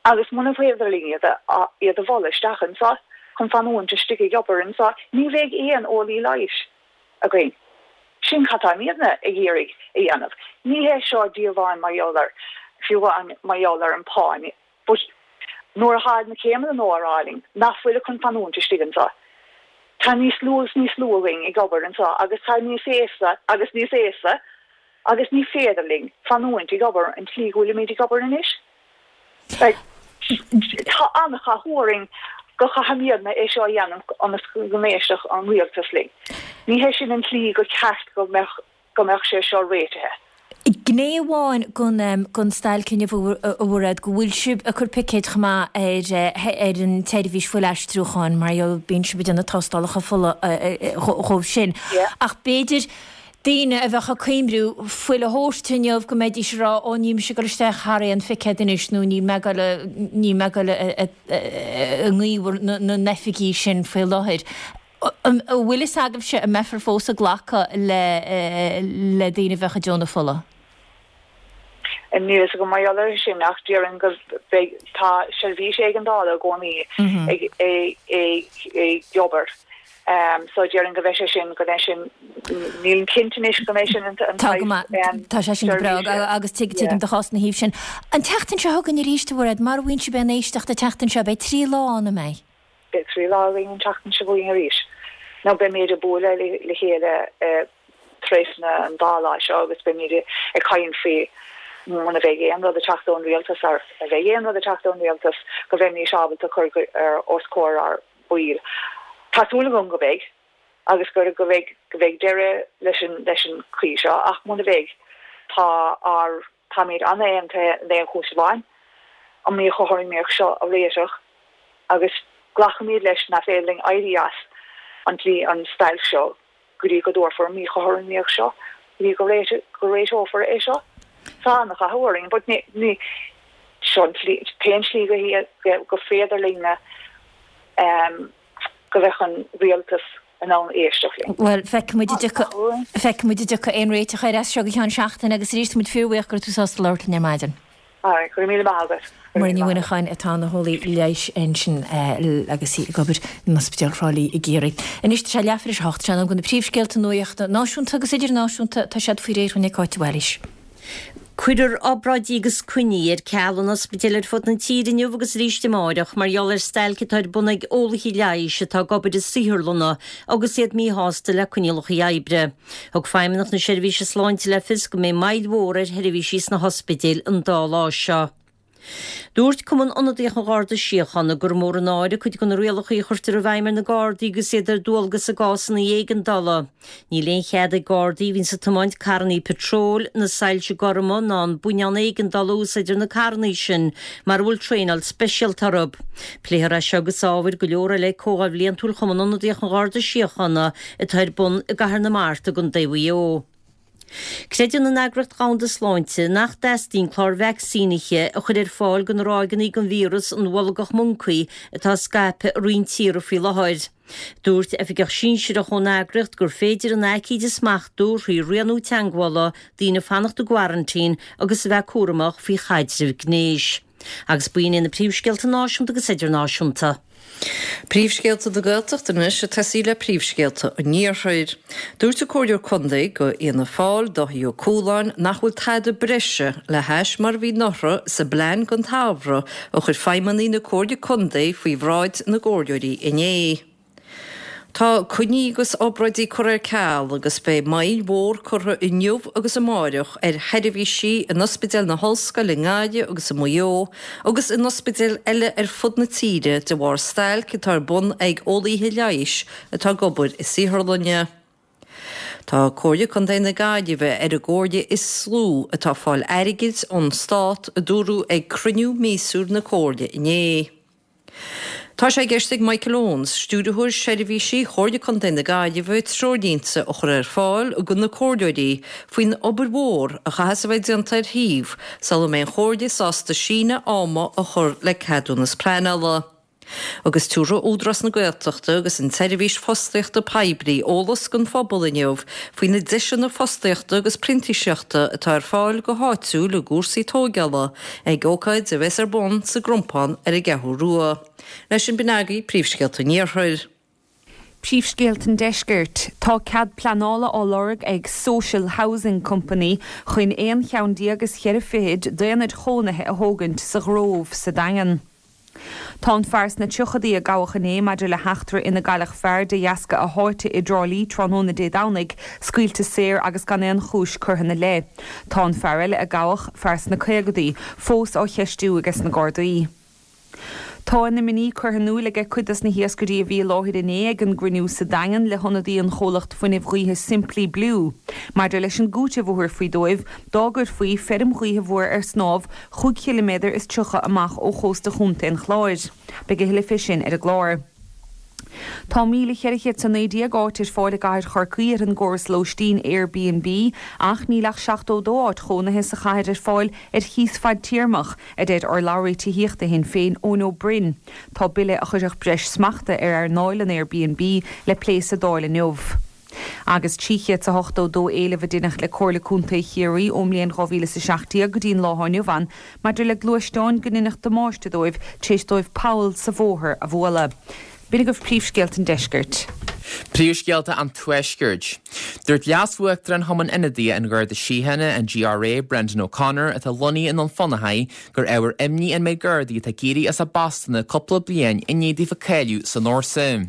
Agus muna féidir linn iad a iad a mholadh isteach anseo chun fanúint istigh ag obair anseo, ní bheidh aon eolaí leighis againn. Sin cad táimidne ag iarraidh a dhéanamh. Ní hé seo díobháil mar gheall ar, fiú amháin mar gheall ar an pá. But nuair atá na céimeanna nua á rá linn nach bhfuil chun fanúint istigh anseo, tá níos lú agus níos lú againn ag obair anseo agus tá níos aosta agus níos aosta agus ní féidir linn fanúint ag obair an tslí go bhfuilimid ag obair anois. Like, tá an-chathú orainn go chaithfimidne é seo a dhéanamh ionas go n-éistfeadh an rialtas linn. Ní hé sin an tslí go ceart go mbeadh go mbeadh sé seo réitithe. Gné amháin den stailc inniu a Mhairéad, go bhfuil sibh ag cur picéid chomh maith ar ar an tseirbhís fuilaistriúcháin mar gheall bíonn sibh ag déanamh tástálacha fola dhóibh sin. Ach b'fhéidir daoine a bheadh ag cuimhniú fuil a thabhairt inniu go mbeidís ag rá ó níl mise ag dul isteach thar aon phicéad anois nó níl mé ag dul níl mé ag dul i ngaobhar na n-oifigí sin faoi láthair. An bhfuil fhios agaibhse an mbeifear fós ag glacadh le le daoine a bheadh ag deonadh fola? Níl fhios agam mar gheall air sin ach déarfainn go beidh, tá seirbhís éigeandála i gcónaí ag ag ag ag obair. So déarfainn go mbeidh sé sin, go mbeidh sin, nílim cinnte anois go mbeidh sin an Tá go saghas maith, tá sé sin go breá seirbhíse. agus tuigim do chás ina thaobh sin. An tseachtain seo chugainn arís, a Mhairéad, mar a bhíonn sibh aon éisteacht an tseachtain seo, beidh 3 lá ann, an mbeidh? Beidh 3 lá againn an tseachtain seo chugainn arís. Nó beimid ag bualadh le chéile trasna an dá lá seo agus beimid ag caint faoi muna bheidh aon rud ag teacht ón rialtas, ar a bheidh aon rud ag teacht ón rialtas, go bheimís ábalta cur os comhair ár baill. Tá súil agam go mbeidh agus go go mbeidh go mbeidh deireadh leis an leis an chaoi seo ach muna bheidh tá ár táimid an-aontaithe in aon chúis amháin, an mhíchothromaíocht seo a réiteach agus glacaimid leis nach féidir linn éirí as an tslí an stailc seo go dtí go dtabharfar an mhíchothromaíocht seo, go dtí go go réiteofar é seo. Tá an-chathú orainn, but ní, ní, seo an tslí, t-aon slí go go féidir linne go mbeadh an rialtas in ann éisteacht linn. Bhuel, feicfidh muid an dtiocfaidh, feicfidh muid an dtiocfaidh aon réiteach air as seo go ceann seachtaine agus arís tá muid fíorbhuíoch go raibh tú sásta labhairt linn ar maidin. Alright, go raibh míle maith agat. Muireann Ní Mhuineacháin atá ina heolaí leighis ansin agus í ag obair in Ospidéal Thrá Lí i gCiarraí. Anois tá sé leathuair tar éis a hocht, sé in am do na príomhscéalta nuachta náisiúnta agus idirnáisiúnta, tá siad faoi réir ag Cáit de Bhailís. Cuirfear obráidí agus coinní ar ceal in ospidéil ar fud na tíre inniu agus arís amáireach mar gheall ar stailc atá ar bun ag eolaithe leighis atá ag obair i saotharlanna agus iad míshásta le coinníollacha oibre. Thug Feidhmeannacht na Seirbhíse Sláinte le fios go mbeidh moill mhór ar sheirbhísí sna hospidéil an dá lá seo. Dúirt Cumann Ionadaíoch an Gharda Síochána gur mór an náire cuid de na rialacha a chuirtear i bhfeidhm ar na Gardaí agus iad ar dualgas i gcásanna éigeandála. Níl aon chead ag Gardaí a bhíonns ag tiomáint carrannaí patróil, na soilse gorma ná an buinneán éigeandála a úsáid ar na carrannaí sin mara bhfuil traenáil speisialta orthu. Pléifear é seo agus ábhair go leor eile ag Comhdháil Bhliantúil Chumann Ionadaíoch an Gharda Síochána atá ar bun i gCathair na Mart i gContae Mhaigh Eo. Creideann an Eagraíocht Dhomhanda Sláinte nach dteastaíonn clár vacsaínithe a chur ar fáil do na ráigeanna den víreas an bholgach moncaí atá scaipthe i roinnt tíortha faoi láthair. Dúirt oifigeach sinsearach ón eagraíocht gur féidir an aicíd a smachtú thrí rianú teagmhála, daoine fanacht i gcoraintín agus a bheith cúramach faoi chaidreamh gnéis. Agus b'in iad na príomhscéalta náisiúnta agus idirnáisiúnta. Príomhscéalta na Gaeltachta anois ag tosaí le príomhscéalta an Iarthair. Dúirt an Comhairleoir Contae do Fhianna Fáil, Dáithí Ó Cualáin, nach bhfuil tada breise le hais mar a bhí anuraidh sa bplean don tsamhradh a chuir feidhmeannaigh na Comhairle Contae faoi bhráid na gcomhairleoirí inné. Tá coinní agus obráidí curtha ar ceal agus beidh moill mhór curtha inniu agus amáireach ar sheirbhísí in Ospidéal na hOllscoile i nGaillimh agus i Maigh Eo agus in ospidéil eile ar fud na tíre de bharr stailc atá ar bun ag eolaíthe leighis atá ag obair i saotharlanna. Tá Comhairle Contae na Gaillimhe ar an gcomhairle is lú atá ag fáil airgid ón stát, a dúradh ag cruinniú míosúil na Comhairle inné. Tá sé i gceist ag Michael Owens, Stiúrthóir Seirbhísí Chomhairle Contae na Gaillimhe, treoirlínte a chur ar fáil do na comhairleoirí faoin obair mhór a chaithfeas a bheith déanta ar shuíomh sula mbeidh an Chomhairle sásta síneadh ama a chur le ceadúnas pleanála. Agus tabharfaidh Údarás na Gaeltachta agus an tSeirbhís Fostaíochta Poiblí eolas don phobal inniu faoi na deiseanna fostaíochta agus printíseachta atá ar fáil go háitiúil i gcúrsaí tóigeála Ag ócáid a bheas ar bun sa gCrompán ar an gCeathrú Rua. Leis sin b'in agaibh príomhscéalta an Iarthair. Príomhscéalta an Deiscirt. Tá cead pleanála á lorg ag Social Housing Company chun aon cheann déag is cheithre fichid d'aonaid chónaithe a thógaint sa Ghrove sa Daingean. Tá an fear sna tríochadaí a gabhadh inné maidir le heachtra ina gcailleadh fear de dheasca a sháite i dTrá Lí tráthnóna Dé Domhnaigh, scaoilte saor agus gan aon chúis curtha ina leith. Tá an fear eile a gabhadh, fear sna caogadaí, fós á cheistiú aige sna Gardaí. Tá a n-imní curtha in iúil aige cuid dos na hiascairí a bhí i láthair inné ag an gcruinniú sa Daingean le hionadaí an chomhlacht fuinnimh ghaoithe Simply Blue maidir leis an gcúiteamh a thabharfaí dóibh dá gcuirfí feirm ghaoithe mhór ar snámh chúig chiliméadar is 30 amach ó chósta Chontae an Chláir. Beidh a thuilleadh fé sin ar an gclár. Tá 1,419 áit ar fáil i gcathair Chorcaí ar an gcóras lóistín Airbnb ach níl ach 72 áit chónaithe sa chathair ar fáil ar chíos fadtéarmach, a deir urlabhraí tithíochta Shinn Féin Eoin Ó Broin. Tá bille a chuirfeadh breis smachta ar earnáil an Airbnb le plé sa Dáil inniu. Agus 382 éileamh a deineadh le Comhairle Contae Chiarraí ón mbliain 2017 go dtí an lá atá inniu ann maidir le gluaisteáin go ndeineadh damáiste dóibh tar éis dóibh poll sa bhóthar a bhualadh. B'in agaibh príomhscéalta an deiscirt. Príomhscéalta an Tuaiscirt. Dúirt Leas-Uachtarán Chumann Ionadaithe an Gharda Síochána, an GRA, Brendan O'Connor, atá lonnaithe i nDún Fionnachaidh, gur ábhar imní an méid Gardaí atá ag éirí as a bpostanna cúpla bliain i ndiaidh daofa cáiliú san fhórsa.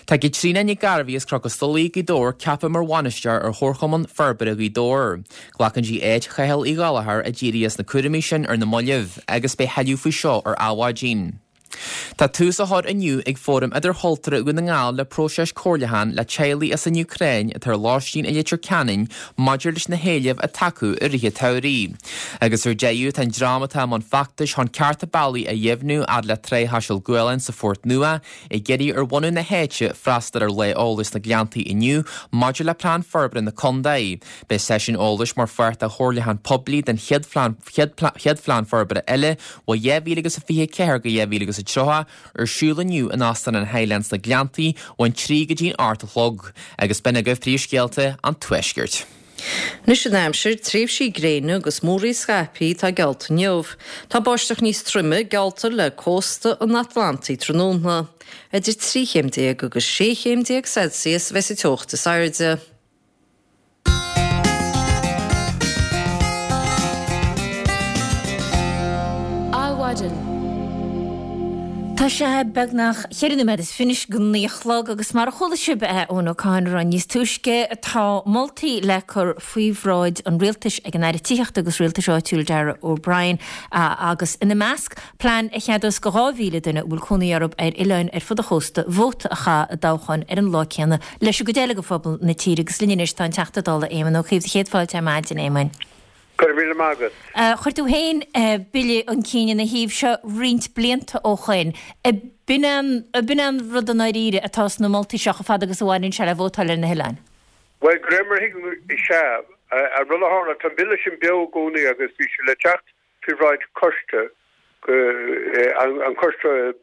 Tá Caitríona Nic Gairbheith as Cnoc an Stolaigh, Gaoth Dobhair ceaptha mar bhainisteoir ar Chomharchumann Forbartha Ghaoth Dobhair. Glacann sí áit Chathail Uí Ghallchóir a d'éirigh as na cúraimí sin ar na mallaibh agus beidh tuilleadh faoi seo ar Adhmhaidin. Tá tús á chur inniu ag Fóram Idirchultúrtha Dhún na nGall le próiseas comhairliúcháin le teaghlaigh as an Úcráin atá ar lóistín i Leitir Ceanainn maidir leis na héilimh atá acu i rith an tsamhraidh. Agus ar deireadh, tá an dream atá i mbun feachtais chun cearta bealaigh a dheimhniú fhad le Trá Chaiseal Gualann sa Phort Nua ag iarraidh ar bhunadh na háite freastal ar lá eolais sna Gleanntaí inniu maidir le Plean Forbartha na Contae. Beidh seisiún eolais mar pháirt de chomhairliúchán poiblí den chéad Phlean Forbartha eile ó 2024-2030 ar siúl inniu in Óstán an Highland sna Gleanntaí ón 3 go dtí'n 8 a chlog. Agus b'in agaibh príomhscéalta an Tuaiscirt. Anois an aimsir, tréimhsí gréine agus múraíl scaipthe atá geallta inniu. Tá báisteach níos troime geallta le cósta an Atlantaigh tráthnóna. Idir 13 chéim agus 16 chéim Celsius a bheas an teocht is airde. Adhmhaidin. Tá sé beagnach cheithre nóiméad is fiche go naoi a chlog agus mar a chuala sibh Eoin O'Connor ann níos túisce, tá moltaí le cur faoi bhráid an Rialtais ag an Aire Tithíochta agus Rialtais Áitiúil Darragh O'Brien agus ina measc, plean a cheadós go 2,000 duine a bhfuil cónaí orthu ar oileáin ar fud an chósta vóta a chaitheamh i dtoghchán ar an lá céanna leis an gcuid eile de phobal na tíre agus linn anois tá an Teachta Dála Éamon Ó Cuív. Céad fáilte ar maidin, a Éamoin. Go raibh míle maith agat. Chuir tú féin bille chun cinn ina thaobh seo roinnt blianta ó shoin. B'in é an rud i ndáiríre atá sna moltaí seo chomh fada agus a bhaineann sé le vótáil ar na hoileáin? Bhuel, de réir mar a thuigim, is ea. An rud a tharla, tá an bille sin beo i gcónaí agus bhí sé le teacht faoi bhráid coiste, an Coiste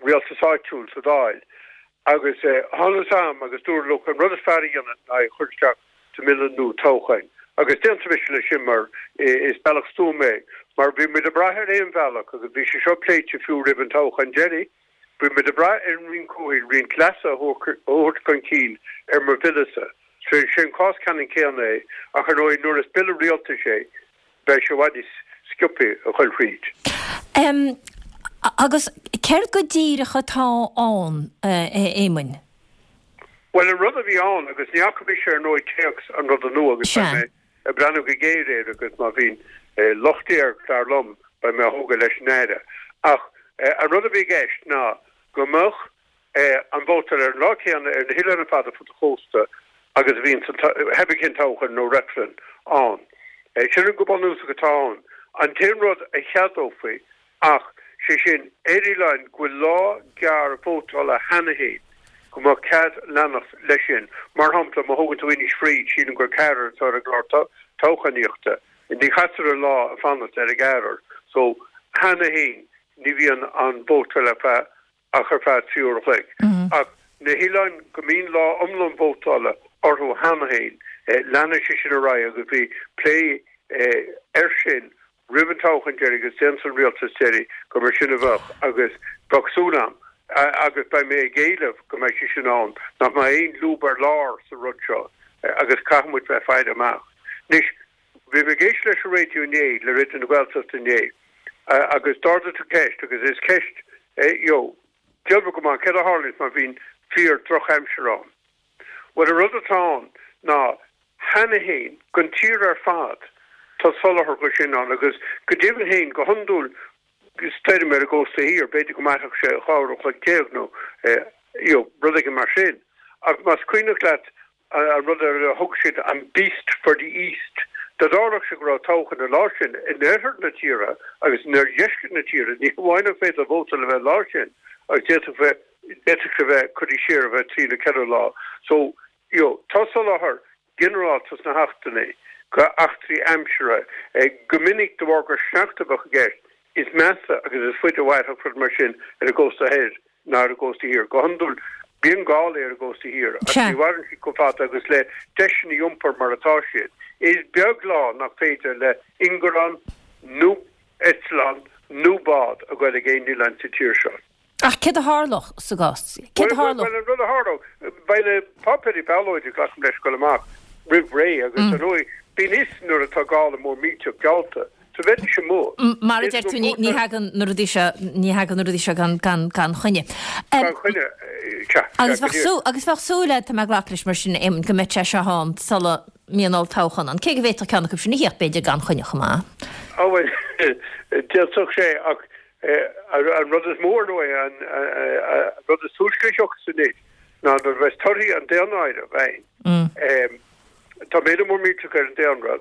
Rialtais Áitiúil sa Dáil, agus thángthas orm agus dúradh look, an rud is fearr a dhéanamh ná é a chur isteach sa mBille nua toghcháin. Agus d'aontaigh mise leis sin mar is bealach stuama é, mar bhí muid ag brath ar aon bhealach, agus bhí sé seo pléite fiú roimh an toghchán deiridh, bhí muid ag brath ar an Roinn Comhshaoil roinnt leasuithe a thabhairt chun cinn ar mo bhille-sa. So is é an cás ceannann céanna é, ach ar ndóigh nuair is bille rialtais é, beidh sé i bhfad níos sciobtha a ghoil thríd. Agus céard go díreach atá ann, a Éamoin? Bhuel, an rud a bhí ann, agus ní fhaca mise ar ndóigh téacs an ruda nua agus beidh mé ag breathnú go géar air agus má bhíonn locht air, dar liom, beidh mé á thógáil leis an Aire. Ach an rud a bhí i gceist ná go mbeadh an vótáil ar an lá céanna ar na hoileáin ar fad ar fud an chósta agus a bhíonn pé ar bith cén toghchán nó reifreann ann. Sin go bunúsach atá ann. An t-aon rud a cheadófaí ach, sé sin, ar oileáin go bhfuil lá gearr vótála cheana féin, go mbeadh cead leanacht leis sin. Mar shampla, má thógann tú Inis Fraoich, sílim gur ceathrar atá ar an gclár toghchánaíochta. Ní chaitear an lá ag fanacht ar an gceathrar. So, cheana féin, ní bhíonn an vótáil ar feadh ach ar feadh 3 uair a chloig. Ach na hoileáin go mbíonn lá iomlán vótála orthu cheana féin, leanfaidh sé sin ar aghaidh agus bhí plé air sin roimh an toghchán deiridh agus d'aontaigh an rialtas deiridh gur mar sin a bheadh agus bheadh súil agam, agus beidh mé ag éileamh go mbeidh sé sin ann, nach mbeidh aon lúb ar lár sa rud seo agus caithfidh muid bheith faire amach. Anois, Bhí mé ag éisteacht leis an raidió inné, le Raidió na Gaeltachta inné, agus d'ardaigh tú ceist, agus is ceist you know, diabhal go maith, céard a tharlaíonns má bhíonn fíor drochaimsir ann? Bhuel, an rud atá ann ná, cheana féin, don tír ar fad, tá soláthar dho sin ann, agus go deimhin féin, go hiondúil, stoirm ar an gcósta thiar, b'fhéidir go mairfeadh sé 12 uair an chloig nó you know, rud éigin mar sin. Ach más cuimhneach leat an rud ar a thug siad an Beast for the East, dá dtarlódh sé go raibh toghchán an lá sin in oirthear na tíre agus in oirdheisceart na tíre, ní hamháin nach féidir vótáil a bheith an lá sin, ach d'fhéadfadh bheith, d'fhéadfadh sé bheith curtha siar ar feadh trí nó ceithre lá. So, you know, tá soláthar ginearálta sna hAchtanna go eachtraí aimsire. Go minic, de bharr gur sneachta a bheadh i gceist, is measa agus is faide a mhairfeadh rud mar sin ar an gcósta thoir ná ar an gcósta thiar. Go hiondúil, bíonn gálaí ar an gcósta thiar ach ní mhaireann siad chomh fada agus le deiseanna iompair mar atá siad, is beag lá nach féidir le ingearán nó eitleán nó bád a ghoil ag aon oileán sa tír seo. Ach céard a tharlódh sa gcás? Céard a tharlódh? Bhuel, an rud a tharlódh, beidh na páipéirí ballóide, glacaim leis, ag dul amach roimh ré agus, ar ndóigh, bíonn fhios nuair atá gála mór millteach geallta, so bheidís amuigh. Mar a deir tú, ní thagann na rudaí seo, ní thagann na rudaí seo gan, gan, gan choinne. Gan choinne, sea, Agus bheadh súil, agus bheadh súil agat, tá mé ag glacadh leis mar sin, Éamonn, go mbeadh sé seo ann sula mbíonn olltoghchán ann, cé go bhféadfadh ceann acu sin a theacht, b'fhéidir, gan choinne chomh maith. Á bhuel, d'fhéadfadh sé, ach An rud is mó, ar ndóigh, an rud is túisce a thiocfas anois ná nuair a bheas torthaí an daonáirimh ann. Tá méadú mór millteach ar an daonra.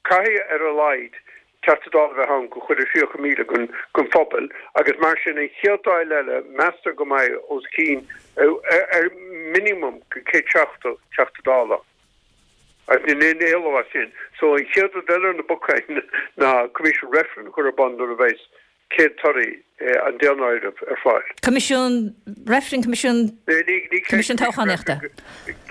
Caithfidh ar a laghad Teachta Dála a bheith ann go chuile 30,000 den phobal agus mar sin an chéad Dáil eile meastar go mbeidh os cionn ar minimum go 170 Teachta Dála. Agus níl aon éaló as sin. So an chéad rud eile ar na bacáin ná Coimisiún Reifrinn a chur ar bun nuair a bheas céad torthaí an daonáirimh ar fáil. Coimisiún Reifrinn, Coimisiún, Coimisiún Toghchánaíochta.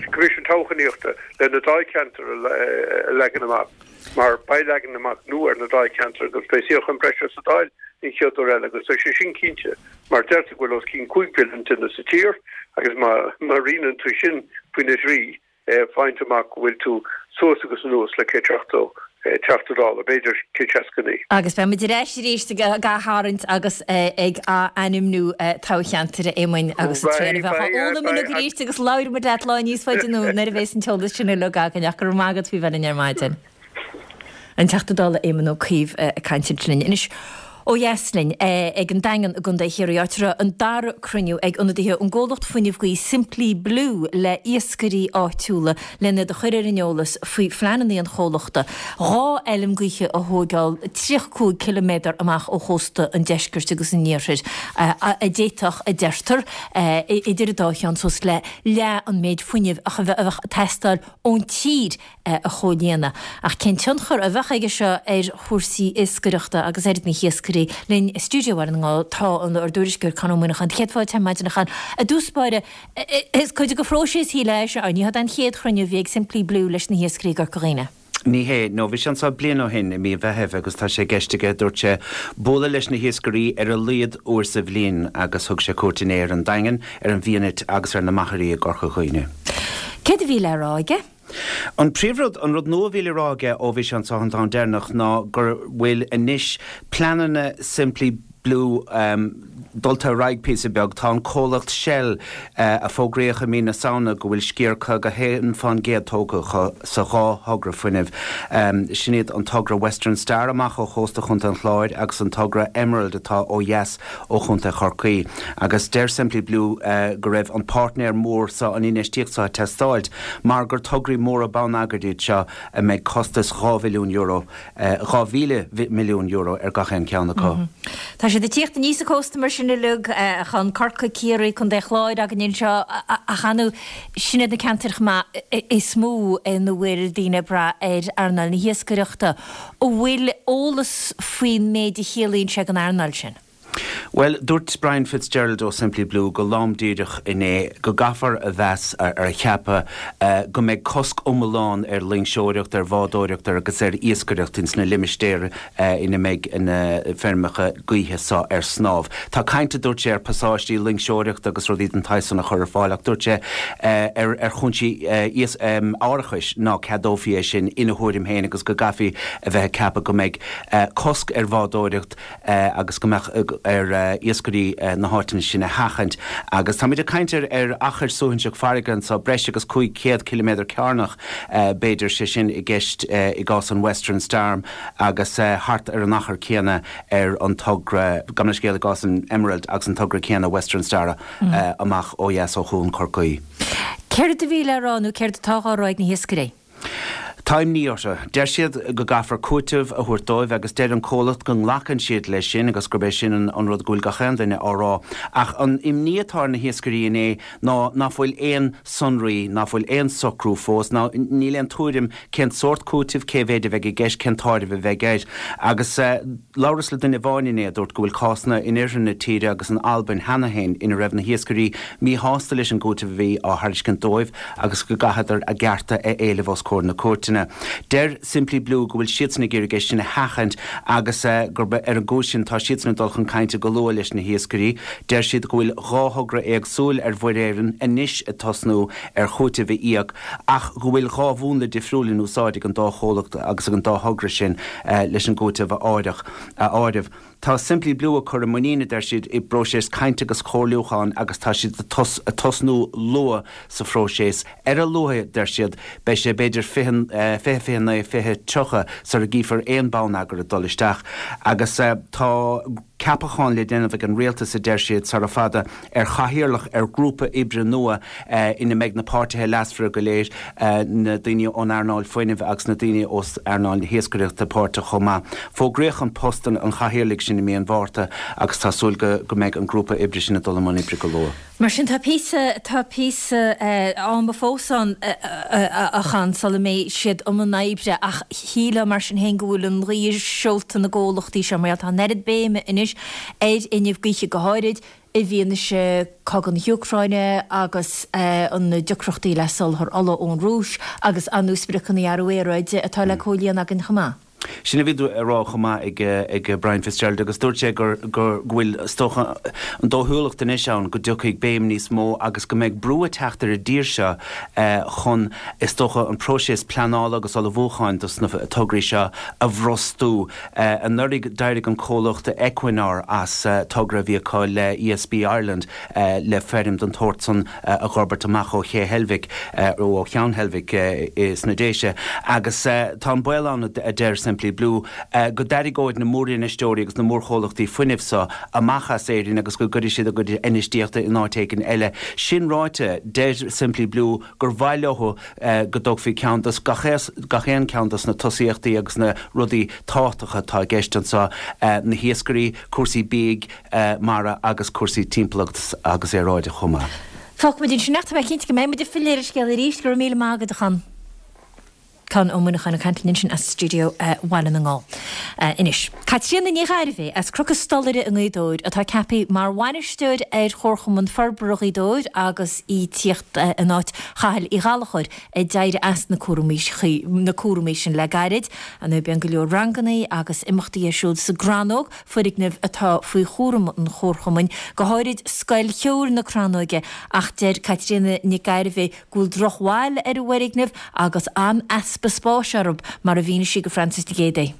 Coimisiún Toghchánaíochta le na dáilcheantair a leagan amach mar beidh leagan amach nua ar na dáilcheantair agus beidh suíochán breise sa Dáil an chéad uair eile agus tá sé sin cinnte mar deirtear go bhfuil os cionn 5 mhilliún duine sa tír agus má roinneann tú sin faoina thrí faigheann tú amach go bhfuil tú suas agus anuas le 170 Teachta Dála, b'fhéidir 169. Agus beidh muid ar ais arís ag aththarraingt agus ag ath-ainmniú toghcheantair, a Éamoinn, agus an triail a bheadh á fhoghlaim uilig arís agus labhróidh muid leat lá níos faide anonn nuair a bheas an t-eolas sin uilig againn ach go raibh maith agat faoi bheith linn ar maidin. An Teachta Dála Éamon Ó Cuív ag caint ansin linn. Anois, ó dheas linn, ag an Daingean i gContae Chiarraí, áit a raibh an dara cruinniú ag ionadaithe ón gcomhlacht fuinnimh gaoithe Simply Blue le iascairí áitiúla lena iad a chur ar an eolas faoi phleananna an chomhlachta dhá fheilm gaoithe a thóigeáil 35 ciliméadar amach ó chósta an deiscirt agus an iarthair a d'fhéadfadh, a deirtear, idir an dá cheann suas le leath an méid fuinnimh a bheadh ag teastáil ón tír a chomhlíonadh. Ach cén tionchar a bheadh aige seo ar chúrsaí iascaireachta agus ar na hiascairí? Linn i stiúideo Bhaile na nGall tá ár dtuairisceoir Conn Ó Muíneacháin. Céad fáilte ar maidin a Chon. I dtús báire, is cuid de phróiseas shílfeá é seo, ní hé an chéad chruinniú a bhí ag Simply Blue leis na hiascairí i gCorca Dhuibhne. Ní hé, nó bhí sé anseo bliain ó shin i mí an Mheithimh agus tá sé i gceist aige, dúirt sé, bualadh leis na hiascairí ar a laghad uair sa bhliain agus thug sé cuairt inné ar an Daingean, ar an bhFianait agus ar na Machairí i gCorca Dhuibhne. Céard a bhí le rá aige? An príomhrud, an rud nua a bhí le rá aige ó bhí sé anseo an t-am deireanach ná go bhfuil anois pleananna Simply Blue dulta ar aghaidh píosa beag. Tá an comhlacht Shell, a fógraíodh i mí na Samhna go bhfuil sciar 51% tógtha acu sa dhá thogra fuinnimh, sin iad an togra Western Star amach ó chósta Chontae an Chláir agus an togra Emerald atá ó dheas ó Chontae Chorcaí. Agus deir Simply Blue go raibh an páirtnéir mór seo, an infheistíocht seo ag teastáilt mar gur tograí móra bonneagair iad seo a mbeidh costas €2 bhilliún, €2,000 milliún ar gach aon cheann acu. Tá siad ag tíocht aníos an cósta mar sin uilig, chun Corcaigh, Ciarraí, Contae Chláir againn anseo ach ar ndóigh sin iad na ceantair chomh maith is mó ina bhfuil daoine ag brath ar earnáil na hiascaireachta. An bhfuil eolas faoin méid a chiallaíonn sé don earnáil sin? Bhuel, dúirt Brian Fitzgerald ó Simply Blue go lom díreach inné go gcaithfear a mheas, ar a cheapadh, go mbeidh cosc iomlán ar loingseoireacht, ar bhádóireacht agus ar iascaireacht ins na limistéir ina mbeidh na feirmeacha gaoithe seo ar snámh. Tá caint, a dúirt sé, ar pasáistí loingseoireachta agus rudaí den tsaghas san a chur ar fáil ach dúirt sé ar ar chúinsí árachais ná ceadófaí é sin ina thuairim féin agus go gcaithfí a bheith ag ceapadh go mbeidh cosc ar bhádóireacht agus go mbeadh ar iascairí na háiteanna sin a sheachaint. Agus táimid ag caint ar ar achar suaithinseach farraige anseo, breis agus 500 ciliméadar cearnach b'fhéidir, sé sin i gceist i gcás an Western Star agus thart ar an achar céanna ar an togra, gabh mo leithscéal, i gcás an Emerald agus an togra céanna Western Star amach ó dheas ó Chuan Chorcaí. Céard a bhí le rá nó céard atá á rá ag na hiascairí? Tá imní orthu. Deir siad go gcaithfear cúiteamh a thabhairt dóibh agus deir an comhlacht go nglacann siad leis sin agus gurb é sin an rud go bhfuil gach aon duine á rá. Ach an imní atá ar na hiascairí inné ná ná fuil aon sonraí, ná fuil aon socrú fós, ná níl aon tuairim cén sórt cúitimh, cé mhéid a bheidh i gceist, cén t-áireamh a bheidh air. Agus labhras le duine amháin inné a dúirt go bhfuil cásanna in oirthear na tíre agus in Albain cheana féin ina raibh na hiascairí míshásta leis an gcúiteamh a bhí á thairiscint dóibh agus go gcaitheadar a gcearta a éileamh os comhair na cúirteanna. seachtaine. Deir Simply Blue go bhfuil siadsan ag iarraidh é sin a sheachaint agus gurb ar an gcúis sin tá siadsan ag dul chun cainte go luath leis na hiascairí. Deir siad go bhfuil 2 thogra éagsúil ar Mhuir Éireann anois ag tosnú ar chúiteamh a íoc ach go bhfuil 2 mhúnla difriúil in úsáid ag an dá chomhlacht agus ag an dá thogra sin leis an gcúiteamh a áireamh. Tá Simply Blue ag cur a muinín, a deir siad, i bpróiseas cainte agus comhairliúcháin agus tá siad ag tosnú luath sa phróiseas. Ar a luaithe, deir siad, beidh sé b'fhéidir 20, 29, 20, 30 sara gcífear aon bonneagar ag dul isteach agus tá ceapachán le déanamh ag an rialtas, a deir siad, sara fada ar chathaoirleach ar ghrúpa oibre nua ina mbeidh na páirtithe leasmhara go léir, na daoine ón earnáil fuinnimh agus na daoine ó earnáil na hiascaireachta páirteach chomh maith. Fógraíodh an post an chathaoirligh sin i mí an Mhárta agus tá súil go go mbeidh an grúpa oibre sin ag dul i mbun oibre go luath. Mar sin tá píosa, tá píosa ama fós ann a Chon sula mbeidh siad i mbun oibre ach shílfeá mar sin féin go bhfuil an ghaoth i seolta na gcomhlachtaí seo mar gheall tá an oiread béime anois ar fhuinneamh gaoithe go háirid i bhfianaise cogadh na hÚcráine agus na deacrachtaí le soláthar ola ón Rúis agus ar ndóigh spriocanna athrú aeráide atá le comhlíonadh againn chomh maith. Sin a bhí á rá chomh maith ag Brian Fitzgerald agus dúirt sé gur go bhfuil, is dócha, an dóchúlacht anois ann go dtiocfaidh béim níos mó agus go mbeidh brú ag teacht ar an dtír seo chun, is dócha, an próiseas pleanála agus ullmhúcháin dos na tograí seo a bhrostú. Anuraidh d'éirigh an comhlacht Equinor as togra a bhí acu le ESB Ireland le feirm den tsórt san a dh'fhorbairt amach ó Ché Heilbhic, ó ó Cheann Heilbhic sna Déise. Agus tá an baol ann, a deir Simply Blue, go dtarraingeoidh na mórinfheisteoirí agus na mórchomhlachtaí fuinnimh so amach as Éirinn agus go gcuirfidh siad a gcuid infheistíochta in áit éigin eile. Sin ráite, deir Simply Blue gur mhaith leo go dtógfaí ceann dos gach gach aon ceann dos na tosaíochtaí agus na rudaí tábhachtacha atá i gceist anseo, na hiascairí, cúrsaí bídh mara agus cúrsaí timpeallachta agus aeráide chomh maith. Fágfaimid ansin ach tá mé cinnte go mbeidh muid ag filleadh ar an scéal arís. Go raibh míle maith agat, a Chon. Conn Ó Muineacháin ag caint linn ansin as stiúideo Bhaile na nGall. Anois, Caitríona Ní Ghairbhí as Cnoc an Stolaire i nGaoth Dobhair atá ceaptha mar bhainisteoir ar Chomharchumann Forbartha Ghaoth Dobhair agus í tíocht in áit Chathail Uí Ghallchóir a d'éirigh as na cúraimí na cúraimí sin le gairid. Ar ndóigh bíonn go leor rangannaí agus imeachtaí ar siúl sa gCrannóg, foirgneamh atá faoi chúram an Chomharchumainn, go háirid Scoil Cheoil na Crannóige ach deir Caitríona Nic Gairbhigh go bhfuil drochbhail ar an bhfoirgneamh agus an-easpa spáis orthu, mar a mhínigh sí go Frances de Géidigh.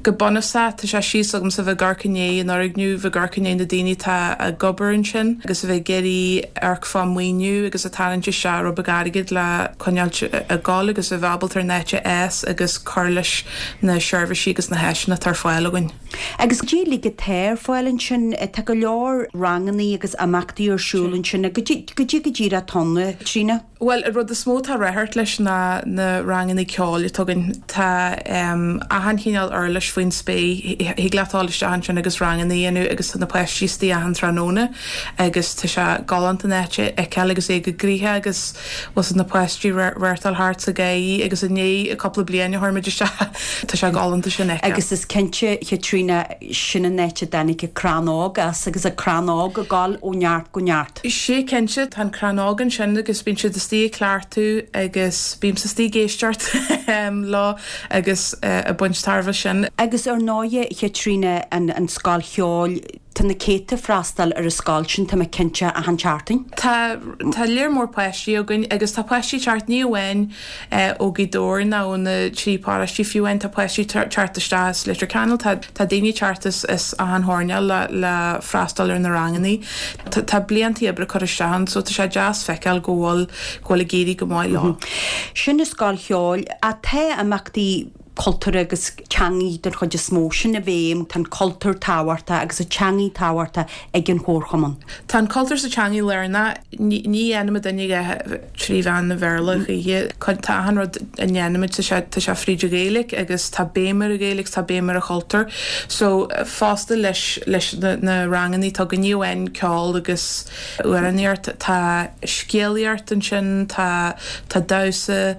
Go bunúsach, tá sé síos agamsa bheith ag amharc i ndiaidh an fhoirgneamh, bheith ag amharc i ndiaidh na daoine atá ag obair ansin agus a bheith ag iarraidh amharc fá maoiniú agus ag tarraingt isteach rud beag airgid le coinneáilt ag gabháil agus a bheith ábalta ar an áit a fhás agus cur leis na seirbhísí agus na háiseanna atá ar fáil againn. Agus goidé uilig atá ar fáil ansin, tá go leor rangannaí agus imeachtaí ar siúl ansin, goidé go díreach atá ann, a Chaitríona? Bhuel, an rud is mó atá ráchairt leis ná na rangannaí ceoil atá againn. Tá achan chineál uirlis faoin spéir. Thig leat dul isteach ansin agus rangannaí a dhéanamh agus tá na páistí istigh achan tráthnóna agus tá sé galánta an áit a fheiceáil agus é go gnoitheach agus bhfuil na páistí rachtáil thart sa gháirí agus i ndiaidh cúpla bliain a chuir muid isteach tá sé galánta sin a fheiceáil. Agus is cinnte, Chaitríona, sin an áit a dtáinig an Crannóg as agus an Crannóg ag gabháil ó neart go neart. Sea cinnte, tá an Crannóg ansin agus bíonn siad istigh ag cleachtadh agus bímse istigh ag éisteacht leo agus ag baint tairbhe sin. Agus ar ndóighe, Chaitríona, an scoil cheoil, Tá na céadta ag freastal ar an scoil sin, tá mé cinnte, achan tseachtain. Tá, tá léar mór páistí againn agus tá páistí ag teacht ní amháin ó Ghaoth Dobhair ná ó na trí paróistí fiú amháin, tá páistí ag teacht isteach as Leitir Ceanainn, tá, tá daoine ag teacht as, as achan choirnéal le, le freastal ar na rangannaí. Tá, tá blianta oibre curtha isteach ann so tá sé deas feiceáil go bhfuil, go bhfuil ag éirí go maith leo. Sin an scoil cheoil. Ach tá imeachtaí cultúrtha agus teangaí den chuid is mó. Sin an bhéim, tá an cultúr tábhachtach agus an teangaí tábhachtach ag an Chomharchumann. Tá an cultúr 's an teangaí lárnach. Ní dhéanaimid aon dhath trí mheán an Bhéarla a choíche. Tá achan rud a ndéanaimid, tá sé, tá sé fríd an Ghaeilge agus tá béim ar an Ghaeilge agus tá béim ar an chultúr. So, fosta leis, leis na rangannaí atá againn, ní amháin ceol agus amhránaíocht, tá scéalaíocht ansin, tá, tá damhsa,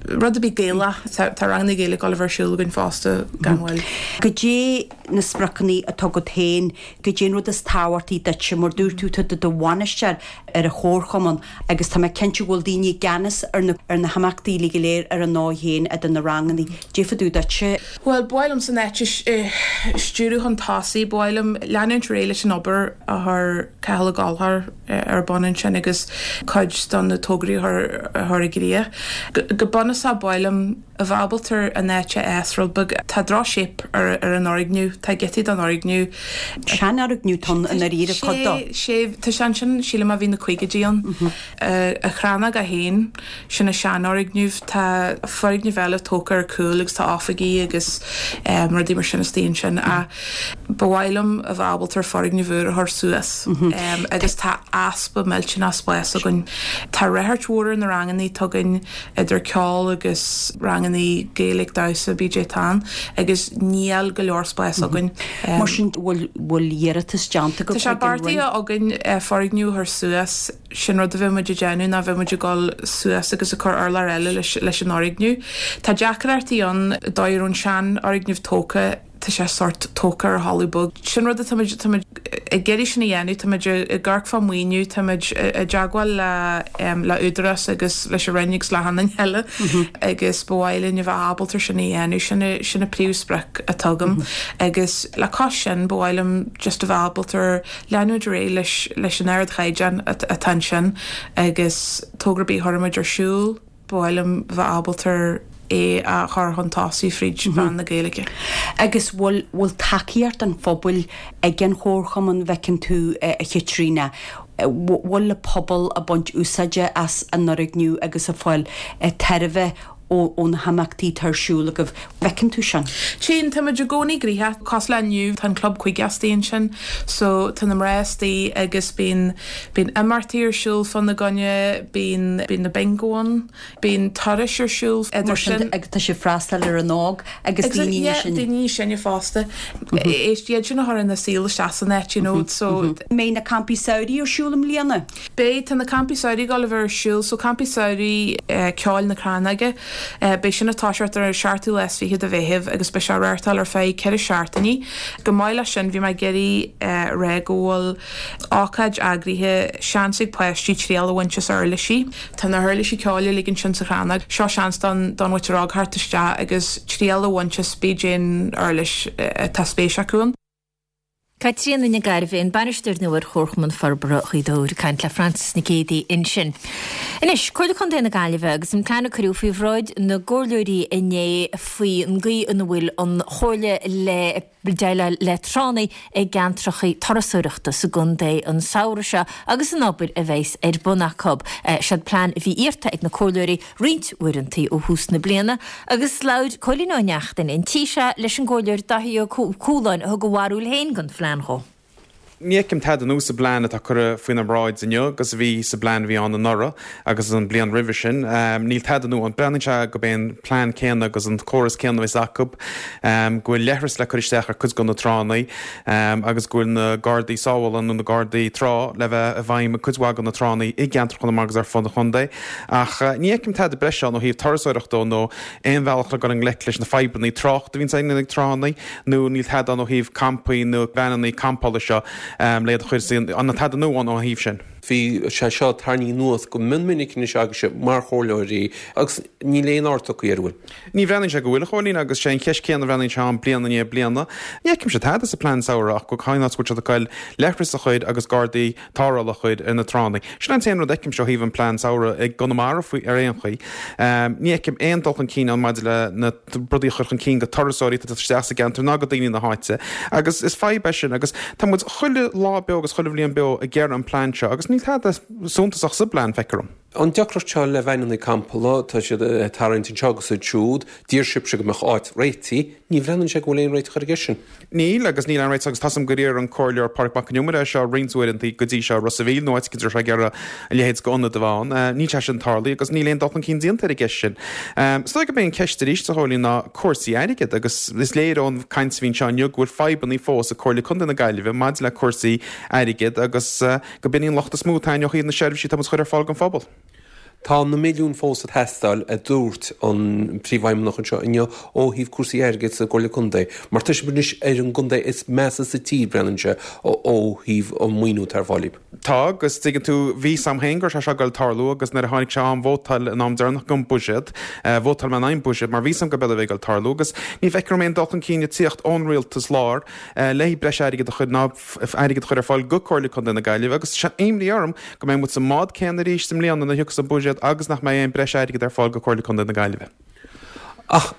Rud ar bith Gaelach. Tá ranganna Gaeilge ag dul a bheith ar siúl againn fosta gan mhoill. Goidé Na spriocanna atá agat féin, goidé an rud is tábhachtaí duitse, mar dúirt tú, tá tú i do bhainisteoir ar an chomharchumann agus tá mé cinnte go bhfuil daoine i gceannas ar na ar na himeachtaí uilig go léir ar a ndóigh féin idir na ranganna. Goidé fá dtaobh duitse. Bhuel, ba mhaith liomsa an áit a stiúradh chun tosaigh, ba mhaith liom leanúint ar aghaidh leis an obair a chuir Cathal Ó Gallchóir ar bun ansin agus cuid de na tograí a chur i gcrích. Go bunúsach, ba mhaith liom a bheith ábalta an áit a fhás rud beag. Tá droch-shape ar an fhoirgneamh, tá giotaí den fhoirgneamh. Seanfhoirgneamh atá ann i ndáiríre, cuid dó. Sé, tá sé ansin, sílim ó bhí na caogaidí ann. An Chrannóg í féin, sin an seanfhoirgneamh. Tá foirgneamh eile tógtha ar cúl agus tá oifigí agus rudaí mar sin istigh ansin. Ach ba mhaith liom a bheith ábalta foirgneamh úr a chur suas agus tá easpa millteanach spáis againn. Tá ráchairt mhór ar na ranganna atá againn. idir ceol agus ranganna Gaeilge, damhsa, bídé atá ann agus níl go leor spáis againn. Mar sin, bhfuil bhfuil iarratas déanta agaibh Tá sé beartaithe againn foirgneamh a chur suas, sin rud a bheidh muid ag déanamh ná bheidh muid ag dul suas agus ag cur urlár eile leis leis an fhoirgneamh. Tá deacrachtaí ann, dóigh a raibh an seanfhoirgneamh tógtha, tá sé sórt tógtha ar thalamh bog. Sin rud atá muid, tá muid ag iarraidh sin a dhéanamh, tá muid ag amharc fá maoiniú, tá muid i dteagmháil le, le Údarás agus leis an Roinn agus le achan duine eile agus ba mhaith linn a bheith ábalta sin a dhéanamh, sin a, sin a príomhsprioc atá agam. Agus le cois sin ba mhaith liom just a bheith ábalta leanúint ar aghaidh leis, leis an ardchaighdeán atá ansin agus togra ar bith a chuireann muid ar siúl, Ba mhaith liom bheith ábalta é a chur chun tosaigh fríd mheán na Gaeilge. Agus bhfuil, bhfuil tacaíocht an phobail ag an Chomharchumann, bhfeiceann tú, a Chaitríona? Bhfuil an pobal ag baint úsáide as an fhoirgneamh agus ag fáil tairbhe ó na himeachtaí atá ar siúl agaibh? Bhfeiceann tú sin? Tchíonn, tá muid i gcónaí gnoitheach. Cosúil le inniu, tá an Club Chuige istigh ansin so tá na mná istigh agus bíonn, bíonn imeachtaí ar siúl fána gcoinne, bíonn, bíonn na bingo ann, bíonn turais ar siúl idir sin. Agus tá sibh ag freastal ar an óg agus daoine níos sine. Daoine níos sine fosta. Iad sin a chuireann an saol isteach san áit, you know, so. Mbeidh na campaí samhraidh ar siúl i mbliana? Beidh, tá na campaí samhraidh ag dul a bheith ar siúl, so campaí samhraidh ceoil na Crannóige, beidh sin ag toiseacht ar an seachtú lá is fichead de Mheitheamh agus beidh sé á reáchtáil ar feadh ceithre seachtainí. Chomh maith leis sin, bhí mé ag iarraidh a rá go bhfuil ócáid eagraithe, seans ag páistí triail a bhaint as uirlisí. Tá na huirlisí ceoil uilig ansin sa Chrannóg, seo seans don don mhuintir óg theacht isteach agus triail a bhaint as pé uirlis atá spéis acu ann. Caitríona Nic Gairbheith, an bainisteoir nua ar Chomharchumann Forbartha Ghaoth Dobhair, ag caint le Frances Nic Géadaigh ansin. Anois, Comhairle Contae na Gaillimhe agus an plean a cuireadh faoi bhráid na gcomhairleoirí inné faoin gcaoi ina bhfuil an Chomhairle le déileáil le tránna i gceantracha turasóireachta sa gcontae an samhradh seo agus an obair a bheas ar bun acu. Siod plean a bhí iarrta ag na comhairleoirí roinnt uaireantaí ó thús na bliana agus labhair Cóilín Ó Neachtain an tí seo leis an gComhairleoir Dáithí Ó Cualáin a thug a bharúil féin den phlean dhó. Ní fheicim tada nua sa bplean atá curtha faoinár mbráid inniu agus a bhí sa bplean a bhí ann anuraidh agus an bliain roimhe sin. Níl tada nua ann. Breathnaíonn sé gurb é an plean céanna agus an córas céanna a bheas acu, go bhfuil leithris le cur isteach ar cuid de na tránna agus go bhfuil na gardaí sábhála nó na gardaí trá le bheith i bhfeidhm ag cuid mhaith de na tránna i gceantar Chonamara agus ar fud an chontae. Ach ní fheicim tada breise ann ó thaobh turasóireachta de nó aon bhealach le dul i ngleic leis na fadhbanna tráchta a bhíonns againn ag tránna nó níl tada ann ó thaobh campaí nó veaineanna campála seo le iad a chur Níl tada nua ann ó thaobh sin. Bhí sé seo tarraingthe anuas go mion minic anois agaibhse mar chomhairleoirí agus níl aon aird tugtha air, an bhfuil? Ní bhreathnaíonn sé go bhfuil, a Chóilín, agus sé an cheist céanna a bhreathnaíonn sé ann bliain i ndiaidh bliana. Ní fheicimse tada sa plean samhraidh ach go cén áit go bhfuil siad ag goil leithris a chur agus gardaí tarrthála a chur ar na tránna. Sin an t-aon rud a fheicimse ó thaobh an plean samhraidh i gConamara faoi ar aon chaoi. Ní fheicim aon dul chun cinn ann maidir le na rudaí a chur chun cinn go turasóirí atá ag teacht isteach sa gceantar ná go daoine na háite agus is fadhb é sin agus tá muid chuile lá beo agus chuile bhliain beo ag iarraidh an plean seo agus níl tada suntasach sa bplean, feictear dom. An deacracht seo le veaineanna campála, tá siad ag tarraingt anseo agus ansiúd, d'iarr sibhse go mbeadh áit réitithe, ní bhreathnaíonn sé go bhfuil aon réiteach ar an gceist sin. Níl, agus níl aon réiteach agus tá 's agam gur iarr an Comhairleoir Pádraig Mac Con Iomaire é seo roinnt uaireanta go dtí seo i Ros a' Mhíl nó áit éicint a raibh sé ag iarraidh a leithéid d'ionad a bheith ann. Níl sé sin tarlaithe agus níl aon dul chun cinn déanta ar an gceist sin. Is dóigh gurb é an ceist arís, a Chóilín, ná cúrsaí airgid agus is léir ón gcaint a bhí anseo inniu go bhfuil fadhbanna fós ag Comhairle Contae na Gaillimhe maidir le cúrsaí airgid agus, Go b'in í an locht is mó atá againn ó thaobh na seirbhísí atá muid a chur ar fáil don phobal. Tá na milliúin fós ag teastáil, a dúirt an Príomhfheidhmeannach anseo inniu ó thaobh cúrsaí airgid sa gComhairle Contae, mar tá sibh anois ar an gcontae is measa sa tír, breathnaíonn sé, ó thaobh an maoiniú atá ar fáil daoib. Tá, agus tuigeann tú, bhí 's a'm féin go raibh sé seo ag goil tarlú agus nuair a tháinig sé am vótáil an am deireanach don buiséad, vótáil mé in aghaidh an buiséad mar bhí 's a'm gurb é a bhí ag goil tarlú agus ní bhfeictear dom aon dul chun cinn ag tíocht ón rialtas láir le breis airgid a chur ná airgead a chur ar fáil go Comhairle Contae na Gaillimhe agus tá imní orm go mbeidh muid sa mbád céanna arís i mbliana nuair a thiocfas an buiséad agus nach mbeidh aon breis airgid ar fáil go Comhairle Contae na Gaillimhe. Ach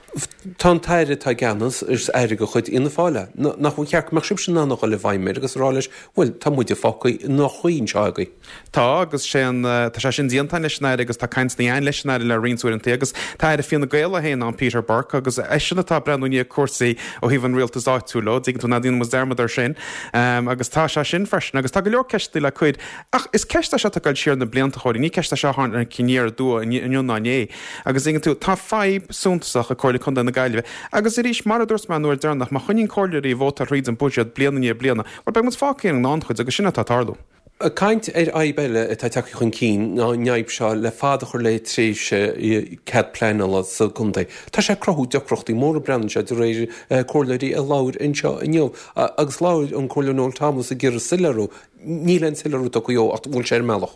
tá an tAire atá i gceannas, is Aire de chuid Fhianna Fáil é. Nach bhfuil cheart go mbeadh sibhse in ann a dhul i bhfeidhm air agus a rá leis, bhuel, tá muide fágtha i ndroch-chaoi anseo agaibh. Tá, agus sé an, tá sé sin déanta againn leis an Aire agus tá cainteanna againn leis an Aire le roinnt uaireanta agus tá Aire Fine Gael é féin ann, Peter Burke, agus eisean atá ag breathnú i ndiaidh cúrsaí ó thaobh an rialtais áitiúil dhó, dtuigeann tú, ná déanann muid dearmad air sin. Agus tá sé sin freisin agus tá go leor ceisteanna le cur. Ach is ceist é seo atá ag dul siar na blianta, a Chóilín, ní ceist é seo a tháinig aniar aduaidh inniu ná inné. Agus dtuigeann tú, tá fadhb suntasach ag Comhairle Contae na Gaillimhe. Agus arís, mar a dúirt mé an uair deireanach, má choinníonn comhairleoirí ag vótáil thríd an buiséad bliain i ndiaidh bliana, bhuel, beidh muid fágtha ar an ngannchuid agus sin atá ag tarlú. Ag caint ar fhadhb eile atá tagtha chun cinn ná an fhadhb seo le fad a chur le tréimhse cead pleanála sa gcontae. Tá sé ag cruthú deacrachtaí móra breathnaíonn sé de réir comhairleoirí a labhair anseo inniu agus labhair an Comhairleoir Noel Thomas ag iarraidh soiléiriú. Níl aon soiléiriú tugtha dhó ach bhfuil sé ar an mbealach.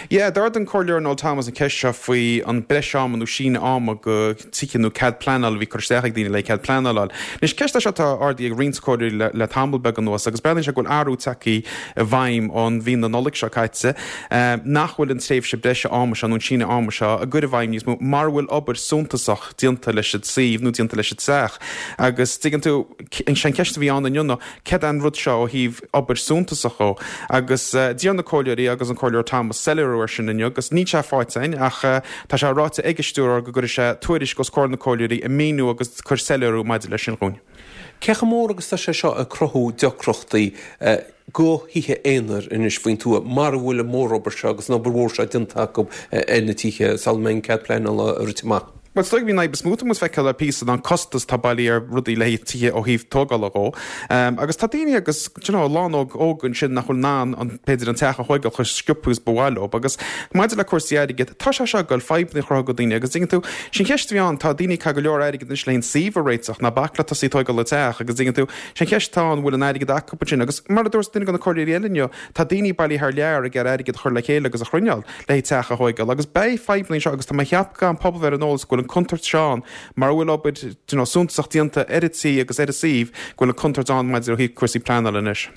Yeah, d'ardaigh an Comhairleoir Noel Thomas an ceist seo faoi an breis ama nó síneadh ama go tithe nó cead pleanála a bhí curtha isteach ag daoine le cead pleanála a fháil. Anois, ceist é seo atá ardaithe ag roinnt comhairleoirí le le tamall beag anuas agus breathnaíonn sé go bhfuil athrú tagtha i bhfeidhm ón mhí na Nollag seo caite nach bhfuil an tréimhse breise ama seo nó an síneadh ama seo á gcur i bhfeidhm níos mó mara bhfuil obair suntasach déanta leis an suíomh nó déanta leis an teach. Agus tuigeann tú, sé an ceist a bhí ann inniu ná céard é an rud seo ó thaobh obair suntasach dhó? Agus d'iarr na comhairleoirí agus an Comhairleoir Thomas soiléiriú air sin inniu agus níl sé faighte againn ach tá sé ráite ag an stiúrthóir go gcuirfidh sé tuairisc os comhair na comhairleoirí ag míniú agus ag cur soiléiriú maidir leis sin dhúinn. Cé chomh mór agus tá sé seo ag cruthú deacrachtaí go thithe aonair anois faoin tuath mara bhfuil an mhórobair seo agus an obair mhór seo déanta acu ar na tithe sula mbeidh an cead pleanála rite amach? Bhuel, is dóigh gurb í an fhadhb is mó atá muid ag feiceáil le píosa ná an costas atá bailithe ar rudaí le haghaidh tithe ó thaobh tógála dhó. Agus tá daoine agus, do you know, lánóg óg ansin nach bhfuil in ann an, b'fhéidir an teach a thóigeáil chomh sciobtha is ba mhaith leo. Agus maidir le cúrsaí airgid, tá sé seo ag goil fadhbanna a chruthú go daoine agus dtuigeann tú, sin cheist a bhí ann, tá daoine ag caitheamh go leor airgid anois le haghaidh an suíomh a réiteach, ná bac le tosaí ag tóigeáil an teach agus dtuigeann tú, sin cheist atá ann, bhfuil an airgead acu ansin agus mar a dúirt duine de na comhairleoirí eile inniu, tá daoine bailithe thar lear ag iarraidh airgead a chur le chéile agus a chruinneáil. le haghaidh teach a thóigeáil agus beidh fadhbanna anseo agus tá mé ag ceapadh go gcaithfidh an pobal bheith ar an eolas go bhfuil an contúirt seo ann mara bhfuil obair you know suntasach déanta ar an tí agus ar an suíomh go bhfuil an contúirt ann maidir ó thaobh cúrsaí pleanála anois.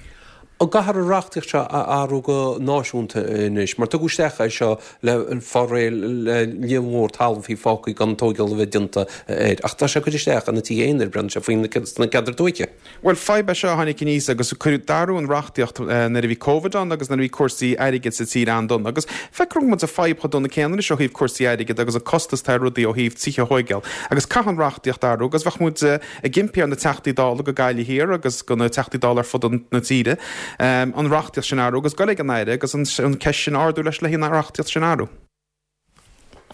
An gcaithfear an reachtaíocht seo a athrú go náisiúnta anois? Mar tugadh isteach é seo le fáil réidh le líon mhór talamh a bhí fágtha gan tóigeáil a bheith déanta air. Ach tá sé curtha isteach ar na tithe aonair, breathnaíonn sé faoi sna ceantair tuaithe. Bhuel, fadhb é seo a tháinig aníos agus cuireadh d'athrú an reachtaíocht nuair a bhí Covid ann agus nuair a bhí cúrsaí airgid sa tír an-dona. Agus feictear go bhfuil muid sa fadhb chomh dona céanna anois ó thaobh cúrsaí airgid agus an costas atá ar rudaí ó thaobh tithe a thóigeáil. Agus caithfidh an reachtaíocht athrú agus bheadh muid ag impí ar na Teachtaí Dála go Gaillimh Thiar agus go na Teachtaí Dála ar fud na tíre an reachtaíocht sin a athrú agus goil ag an Aire agus an ceist sin a ardú leis le haghaidh an reachtaíocht sin a athrú.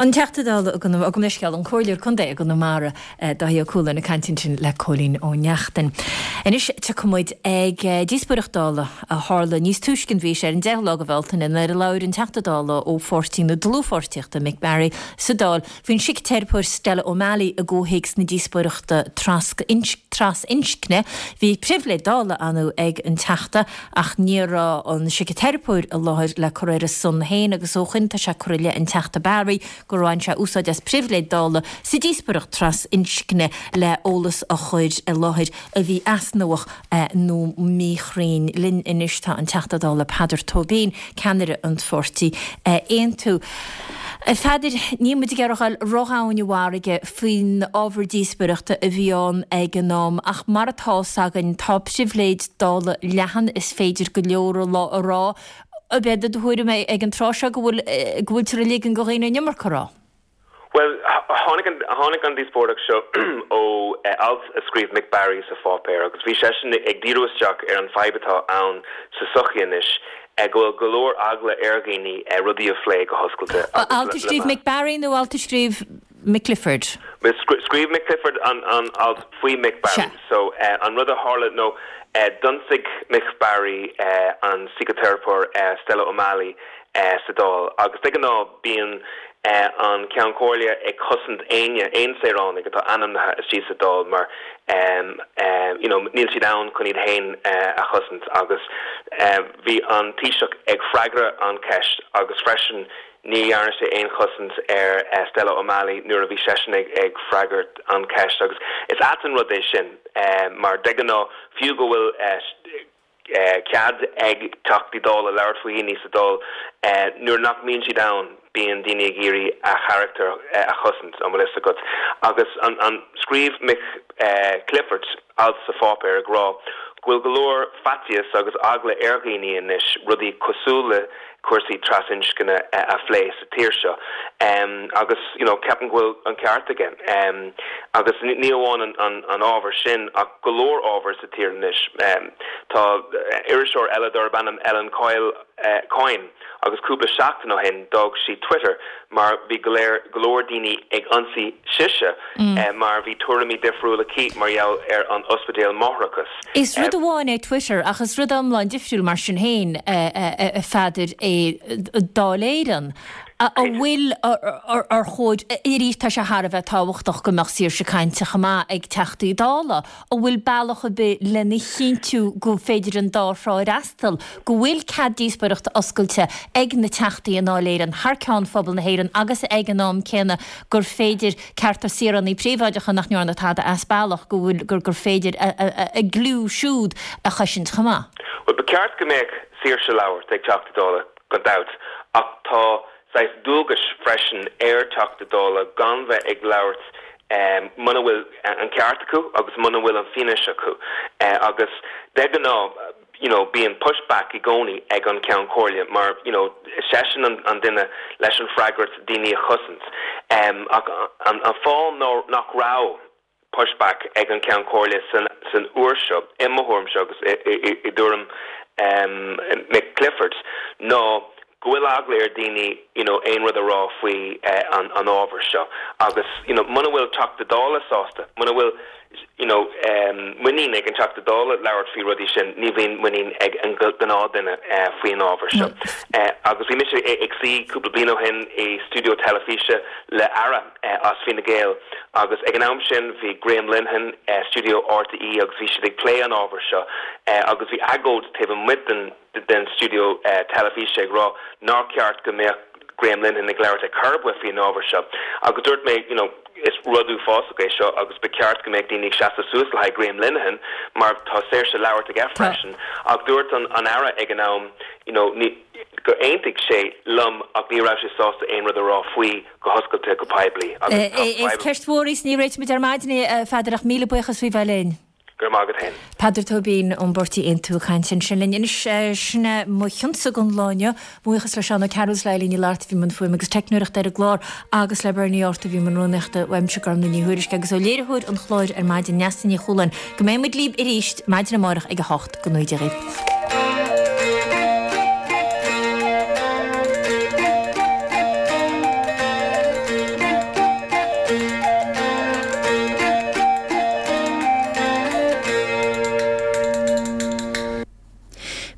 An Teachta Dála i gConamara, gabh mo leithscéal, an Comhairleoir Contae i gConamara, Dáithí Ó Cualáin ag caint ansin le Cóilín Ó Neachtain. Anois tiocfaidh muid ag díospóireacht Dála a tharla níos túisce an mhí seo ar an 10ú lá de Bhealtaine nuair a labhair an Teachta Dála ó pháirtí na Dlúthpháirtíochta, Mick Barry, sa Dáil faoin sicteiripeoir Stella O'Malley i gcomhthéacs na díospóireachta trasinscne. Bhí pribhléid Dála ann ag an Teachta Ach ní raibh an siciteiripeoir i láthair le cur ar a son féin agus ó shoin tá sé curtha i leith an Teachta Barry gur bhain sé úsáid as pribhléid Dála sa díospóireacht tras-inscne le eolas a chur i láthair a bhí easnamhach nó míchruinn. Linn anois tá an Teachta Dála Peadar Tóibín, ceannaire an pháirtí Aontú. A Pheadair, níl muid ag iarraidh a dhul ródhomhain i bhfarraige faoin ábhar díospóireachta a bhí ann ag an am ach mar atá 's againn tá pribhléid Dála leathan, is féidir go leor a rá. Ab é do thuairim é ag an tráth seo go bhfuil go bhfuiltear ag ligean do dhaoine an iomarca a rá? Bhuel, tháinig an tháinig an díospóireacht seo ó alt a scríobh Mick Barry sa pháipéar agus bhí seisean ag díriú isteach ar an fadhb atá ann sa sochaí anois, go bhfuil go leor eagla ar dhaoine rudaí a phlé go hoscailte agus Alt a scríobh Mick Barry nó alt a scríobh Mick Clifford? Scríobh Mick Clifford an an alt faoi Mick Barry. So an rud a tharla nó d'ionsaigh Mick Barry an síciteiripeoir Stella O'Malley sa Dáil agus de ghnáth bíonn. an Ceann Comhairle ag cosaint éinne, aon saoránaigh atá ainmnithe istigh sa Dáil mar you know níl siad ann chun iad féin a chosaint agus bhí an Taoiseach ag freagra an cheist agus freisin ní dhearna sé aon chosaint ar Stella O'Malley nuair a bhí seisean ag freagairt an cheist agus is ait an rud é sin mar de ghnáth fiú go bhfuil cead ag Teachtaí Dála labhairt faoi dhaoine sa Dáil. Nuair nach mbíonn siad ann, bíonn daoine ag iarraidh a charachtar a chosaint, an bhfuil fhios agat. Agus an scríobh Mick Clifford alt sa pháipéar ag rá go bhfuil go leor faitíos agus eagla ar dhaoine anois rudaí cosúil le cúrsaí trasinscne a phlé sa tír seo agus you know ceapaim go bhfuil an ceart aige. Agus ní amháin an ábhar sin ach go leor ábhar sa tír anois. Tá iriseoir eile darb ainm Ellen Coyle, Coyne agus cúpla seachtain ó shin d'fhág sí Twitter mar bhí go leor go leor daoine ag ionsaí sise mar bhí tuairimí difriúla aici mar gheall ar an ospidéal máithreachais. Is rud amháin é Twitter ach is rud iomlán difriúil mar sin féin, a Pheadair, é Dáil Éireann. An bhfuil, ar chóir, arís tá sé thar a bheith tábhachtach go mbeadh saoirse cainte chomh maith ag Teachtaí Dála, an bhfuil bealach ar bith lena chinntiú go féidir an dá thrá a fhreastal, go bhfuil cead díospóireachta oscailte ag na Teachtaí i nDáil Éireann thar ceann phobal na hÉireann agus ag an am céanna gur féidir cearta saoránaigh príobháideacha nach ndearna tada as bealach, go bhfuil, gur féidir a gcliú siúd a chosaint chomh maith? Bhuel, ba cheart go mbeadh saoirse labhairt ag Teachta Dála, gan dabht, ach tá saghas dualgais freisin ar Teachta Dála gan bheith ag labhairt muna bhfuil an ceart acu agus muna bhfuil an fianaise acu. Agus de ghnáth, you know, bíonn push back i gcónaí ag an Ceann Comhairle mar, you know, seisean an duine leis an freagracht daoine a chosaint. Ach an fáth nach raibh push back ag an Ceann Comhairle san uair seo, i mo thuairimse agus i dtuairim Mick Clifford, ná go bhfuil eagla ar daoine you know aon rud a rá faoi an ábhar seo agus you know muna bhfuil Teachta Dála sásta, muna bhfuil you know muinín ag an Teachta Dála labhairt faoi rudaí sin, ní bhíonn muinín ag an ghnáthdhuine faoi an ábhar seo. Agus bhí mise ag suí cúpla bliain ó shin i stiúideo teilifíse le Aire as Fine Gael agus ag an am sin bhí Graham Linehan i stiúideo RTÉ agus bhí siad ag plé an ábhair seo agus bhí agóid taobh amuigh den den stiúideo teilifíse ag rá nár cheart go mbeadh Graham Linehan ag labhairt ar chor ar bith faoin ábhar seo agus dúirt mé you know is rud uafásach é seo agus ba cheart go mbeadh daoine ag seasamh suas le haghaidh Graham Linehan mar tá saoirse labhairt aige freisin ach dúirt an an Aire ag an am you know ní gur aontaigh sé liom ach ní raibh sé sásta aon rud a rá faoi go hoscailte go poiblí agus tá Is ceist mhór í is ní réiteoimid ar maidin í, a Pheadair, ach míle buíochas faoi bheith linn. Go raibh maith agat féin. Peadar Tóibín ón bpáirtí Aontú ag caint ansin linn. Anois, sin é mo chionsa don lá inniu. Buíochas le Seán Ó Cearúil is le Eileen Ní Fhlatharta a bhí i mbun fuaime agus teicneoireachta ar an gclár agus le Bernie Arthur a bhí i mbun rúnaíochta. Uaimse Gormlaith Ní Thuairisg agus ó léiritheoir an chláir ar maidin, Neasa Ní Chualáin. Go mbeidh muid libh arís maidin amárach ag a 8. Go ngnóthaí Dia dhaoibh.